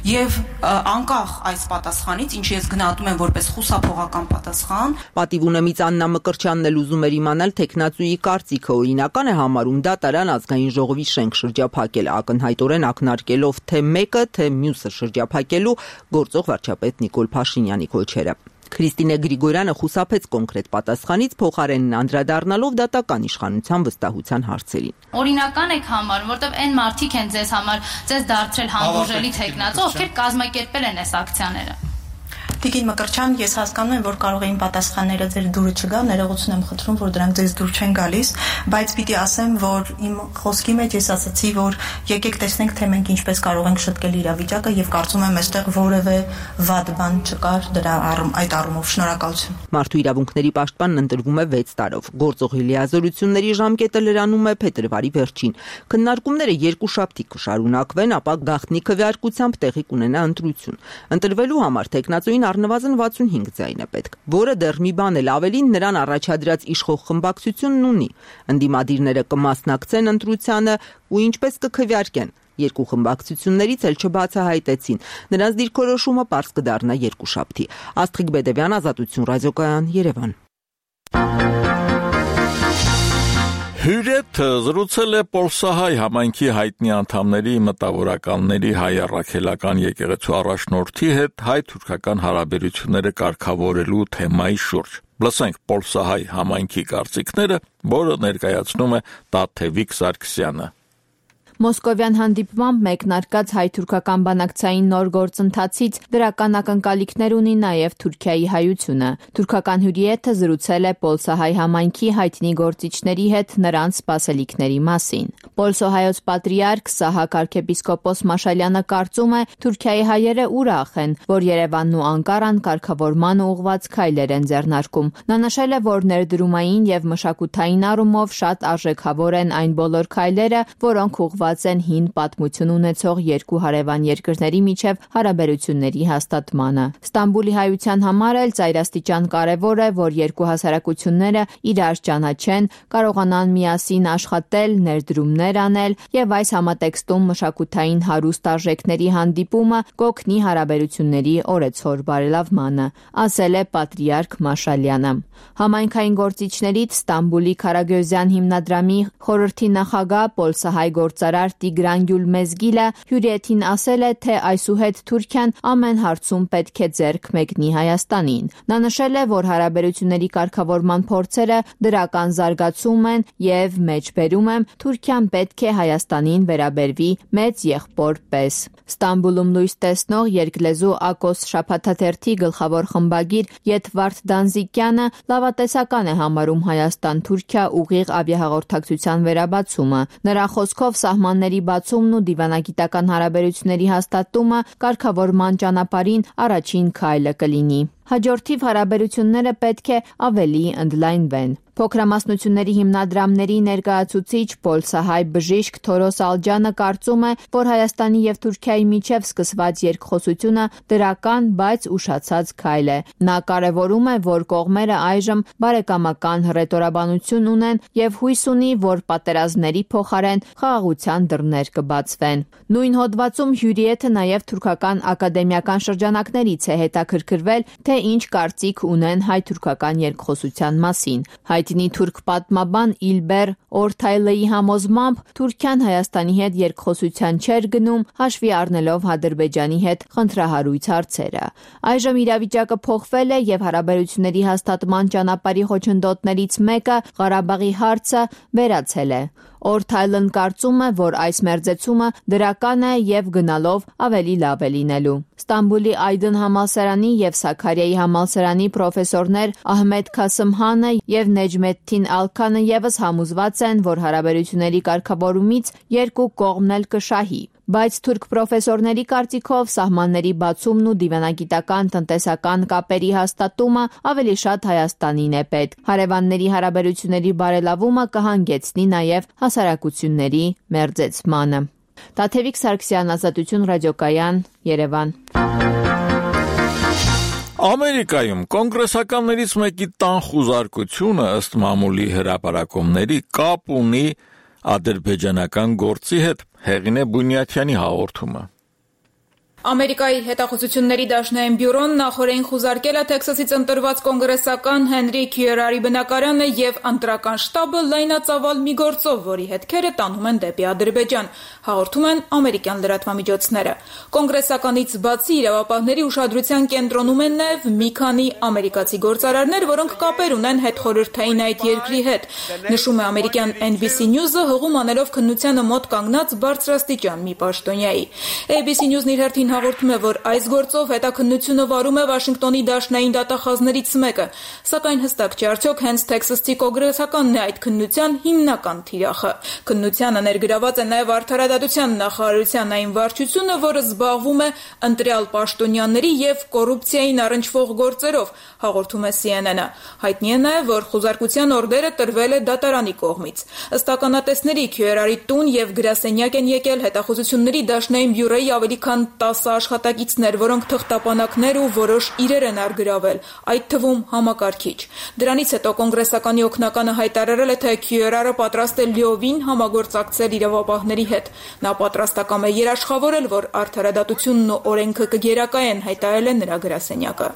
եւ անկախ այս պատասխանից, ինչ ես գնահատում եմ որպես խուսափողական պատասխան։ Պատիվունեմից Աննա Մկրտչյանն էլ ուզում էր իմանալ թեկնածուի կարծիքը, օրինական է համարում դատարան ազգային ժողովի շենք շրջափակել, ակնհայտորեն ակնարկելով թե մեկը, թե մյուսը շրջափակելու գործող վարչապետ Նիկոլ Փաշինյանի կոչերը։ Քրիստինե Գրիգորյանը խուսափեց կոնկրետ պատասխանից, փոխարենն անդրադառնալով դատական իշխանության վստահության հարցերին։ Օրինական եք համարում, որտեղ այն մարդիկ են ձեզ դարձրել համբուրժելի թեկնածու, ովքեր կազմակերպել են այս ակցիաները։ Տիկին Մկրտչյան, ես հասկանում եմ, որ կարող էին պատասխանները ձեր դուրը չգա, ներողություն եմ խնդրում, որ դրանք ձեզ դուր չեն գալիս, բայց պիտի ասեմ, որ իմ խոսքի մեջ ես ասացի, որ եկեք տեսնենք, թե մենք ինչպես կարող ենք շտկել իրավիճակը եւ կարծում եմ այստեղ որևէ վատ բան չկար այդ առումով։ Շնորհակալություն։ Մարդու իրավունքների պաշտպանն ընտրվում է 6 տարով։ Գործող լիազորությունների ժամկետը լրանում է փետրվարի վերջին։ Քննարկումները 2 շաբթի կշարունակվեն, ապա գաղտնի քվեարկությամբ տեղի կունենա ընտրություն։ Ընտրվելու համար թեկնածուին առնվազն 65 ձայն է պետք, որը դեռ մի բան էլ ավելին նրան առաջադրած իշխող խմբակցությունն ունի։ Ընդդիմադիրները կմասնակցեն ընտրությանը ու ինչպես կքվեարկեն։ Երկու խմբակցություններից էլ չբացահայտեցին։ Նրանց դիրքորոշումը պարզ կդառնա երկուշաբթի։ Աստղիկ Բեդևյան, Ազատություն ռադիոկայան, Երևան։ Հյուրեթը զրուցել է Պոլսահայ համայնքի հայտնի անդամների, մտավորականների, հայ առաքելական եկեղեցու առաջնորդի հետ հայ-թուրքական հարաբերությունները կարգավորելու թեմայի շուրջ։ Լսենք Պոլսահայ համայնքի կարծիքները, որը ներկայացնում է Տաթևիկ Սարգսյանը։ Մոսկովյան հանդիպմամբ մեկնարկած հայ-թուրքական բանակցային նոր գործընթացից դրական ակնկալիքներ ունի նաև Թուրքիայի հայությունը։ Թուրքական հյուրիեթը զրուցել է Պոլսահայ համայնքի հայտնի գործիչների հետ նրանց սպասելիքների մասին։ Պոլսոհայոց պատրիարք Սահակ arczepiskopos Մաշալյանը կարծում է, Թուրքիայի հայերը ուրախ են, որ Երևանն ու Անկարան կարգավորման ուղղված քայլեր են ձեռնարկում։ Նա նշել է, որ ներդրումային եւ մշակութային առումով շատ արժեքավոր են այն բոլոր քայլերը, որոնք ուղղված են հին պատմություն ունեցող երկու հարևան երկրների միջև հարաբերությունների հաստատմանը։ Ստամբուլի հայության համար էլ ծայրաստիճան կարևոր է, որ երկու հասարակությունները իրար ճանաչեն, կարողանան միասին աշխատել, ներդրումներ անել եւ այս համատեքստում մշակութային հարուստ արժեքների հանդիպումը կօգնի հարաբերությունների օրեցօր բարելավմանը, ասել է պատրիարք Մաշալյանը։ Համայնքային գործիչներից Ստամբուլի Քարագյոզյան հիմնադրամի խորհրդի նախագահ Պոլսահայ գործարար Տիգրան Գյուլմեզգիլը հյուրիեթին ասել է, թե այսուհետ Թուրքիան ամեն հարցում պետք է ձեռք մեկնի Հայաստանին։ Նա նշել է, որ հարաբերությունների կարգավորման փորձերը դրական զարգացում են եւ մեջբերում եմ Թուրքիան պետք է Հայաստանին վերաբերվի մեծ եղբոր պես։ Ստամբուլում լույս տեսնող երկլեզու Ակոս շաբաթաթերթի գլխավոր խմբագիր Եթվարդ Դանզիկյանը լավատեսական է համարում Հայաստան-Թուրքիա ուղիղ ավիահաղորդակցության վերաբացումը։ Նրա խոսքով սահմանների բացումն ու դիվանագիտական հարաբերությունների հաստատումը կարգավորման ճանապարհին առաջին քայլը կլինի։ Հաջորդիվ հարաբերությունները պետք է ավելի ընդլայնվեն։ Փոքրամասնությունների հիմնադրամների ներկայացուցիչ Պոլսահայ բժիշկ Թորոս Ալջյանը կարծում է, որ Հայաստանի եւ Թուրքիայի միջև սկսված երկխոսությունը դրական, բայց ուշացած քայլ է։ Նա կարևորում է, որ կողմերը այժմ բարեկամական հռետորաբանություն ունեն եւ հույս ունի, որ պատերազմների փոխարեն խաղաղության դռներ կբացվեն։ Նույն հոդվածում հյուրիեթը նաև թուրքական ակադեմիական շրջանակներից է հետաքրքրվել, թե ինչ կարծիք ունեն հայ-թուրքական երկխոսության մասին։ Հայտնի թուրք պատմաբան Իլբեր Օրթայլեի համոզմամբ Թուրքիան Հայաստանի հետ երկխոսության չէր գնում, հաշվի առնելով Ադրբեջանի հետ խնդրահարույց հարցերը։ Այժմ իրավիճակը փոխվել է եւ հարաբերությունների հաստատման ճանապարհի խոչընդոտներից մեկը Ղարաբաղի հարցը վերացել է։ Օրթայլն կարծում է, որ այս մերձեցումը դրական է եւ գնալով ավելի լավ է լինելու։ Ստամբուլի Այդն համալսարանի եւ Սաքարիայի համալսարանի պրոֆեսորներ Ահմեդ Քասմհանը եւ Նեջմեդդին Ալքանը եւս համոզված են, որ հարաբերությունների կարգավորումից երկու կողմն էլ կշահի։ Բայց թուրք պրոֆեսորների կարծիքով սահմանների բացումն ու դիվանագիտական տնտեսական կապերի հաստատումը ավելի շատ Հայաստանին է պետք։ Հարևանների հարաբերությունների բարելավումը կհանգեցնի նաև հասարակությունների մերձեցմանը։ Տաթևիկ Սարգսյան, Ազատություն ռադիոկայան, Երևան։ Ամերիկայում կոնգրեսականներից մեկի տան խուզարկությունը ըստ մամուլի հրապարակումների կապ ունի ադրբեջանական գործի հետ, Հեղինե Բունյաթյանի հաղորդումը։ Ամերիկայի հետախուզությունների դաշնային բյուրոն նախորդին խուզարկել է Թեքսասից ընտրված կոնգրեսական Հենրի Քյուերարի բնակարանը եւ ընտրական շտաբը լայնածավալ մի գործով, որի հետքերը տանում են դեպի Ադրբեջան, հաղորդում են ամերիկյան լրատվամիջոցները։ Կոնգրեսականից բացի իրավապահների ուշադրության կենտրոնում են նաեւ մի քանի ամերիկացի գործարարներ, որոնք կապեր ունեն հետխորհրդային այդ երկրի հետ, նշում է ամերիկյան NBC News-ը հղում անելով քննությանը մոտ կանգնած բարձրաստիճան մի պաշտոնյայի։ ABC News-ն իր հերթին հաղորդում է, որ այս գործով հետաքննությունը վարում է Վաշինգտոնի դաշնային դատախազներից մեկը, սակայն հստակ չէ արդյոք հենց Թեքսասի կոնգրեսականն է այդ քննության հիմնական թիրախը։ Քննությանը ներգրաված է նաև Արդարադատության նախարարության այն վարչությունը, որը զբաղվում է ընտրյալ պաշտոնյաների եւ կոռուպցիային առնչվող գործերով, հաղորդում է CNN-ը։ Հայտնի է նաև, որ խուզարկության օրդերը տրվել է դատարանի կողմից։ Ըստ ականատեսների Քյուերարի տուն եւ գրասենյակ են եկել հետախուզությունների դաշնային բյուրոյի ավելի քան 10 10 աշխատակիցներ, որոնք թղթապանակներ ու որոշ իրեր են արգրավել, այդ թվում համակարգիչ։ Դրանից հետո կոնգրեսականի օգնականը հայտարարել է, թե Քյուերարը պատրաստ է լիովին համագործակցել իրավապահների հետ։ Նա պատրաստակամ է երաշխավորել, որ արդարադատությունն ու օրենքը կգերակայեն, հայտարարել է նրա գրասենյակը։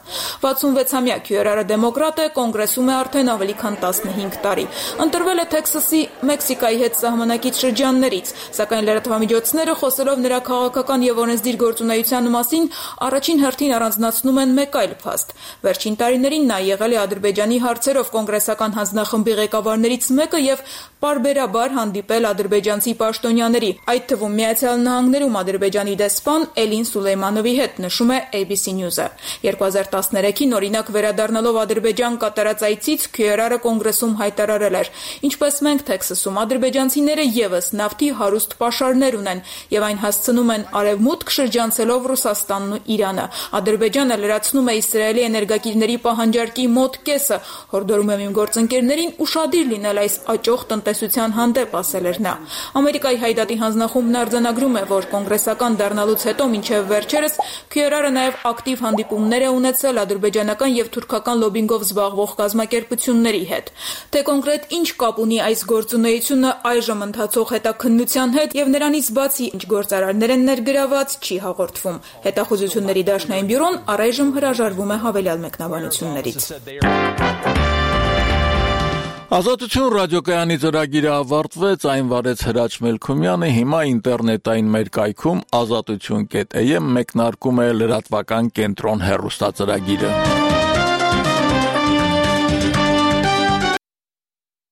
66-ամյա Քյուերարը դեմոկրատ է, կոնգրեսում է արդեն ավելի քան 15 տարի։ Ընտրվել է Թեքսասի Մեքսիկայի հետ սահմանակից շրջաններից, սակայն լրատվամիջոցները խոսելով նրա քաղաքական եւ օրենսդիր գործունեության մասին առաջին հերթին առանձնացնում են մեկ այլ փաստ։ Վերջին տարիներին նա եղել է Ադրբեջանի հարցերով կոնգրեսական հանձնախմբի ղեկավարներից մեկը եւ պարբերաբար հանդիպել ադրբեջանցի պաշտոնյաների, այդ թվում Միացյալ Նահանգներում Ադրբեջանի դեսպան Էլին Սուլեյմանովի հետ, նշում է ABC News-ը։ 2013-ին օրինակ վերադառնալով Ադրբեջան կատարած այցից Քյուերարը կոնգրեսում հայտարարել էր. «Ինչպես մենք Թեքսասում, ադրբեջանցիները եւս նավթի հարուստ պաշարներ ունեն եւ այն հասցնում են արևմուտք շրջանցելով Ռուսաստանն ու Իրանը։ Ադրբեջանը լրացնում է Իսրայելի էներգակիրների պահանջարկի մոտ կեսը, հորդորում եմ իմ գործընկերներին ուշադիր լինել այս աճող տնտեսության հանդեպ», ասել էր նա։ Ամերիկայի Հայդատի հանձնախումբն արձանագրում է, որ կոնգրեսական դառնալուց հետո մինչև վերջերս Քյուերարը նաև ակտիվ հանդիպումներ է ունեցել ադրբեջանական եւ թուրքական լոբինգով զբաղվող կազմակերպությունների հետ։ Թե կոնկրետ ինչ կապ ունի այս գործունեությունը այժմ ընթացող հետաքննության հետ եւ նրանից բացի ինչ գործարարներ են ներգրաված, չի հաղորդվում։ Հետախուզությունների դաշնային բյուրոն առայժմ հրաժարվում է հավելյալ մեկնաբանություններից։ Ազատություն ռադիոկայանի ծրագիրը ավարտվեց, այն վարեց Հրաչ Մելքումյանը, հիմա ինտերնետային մեր կայքում azatutun.am մեկնարկում է լրատվական կենտրոն հեռուստածրագիրը։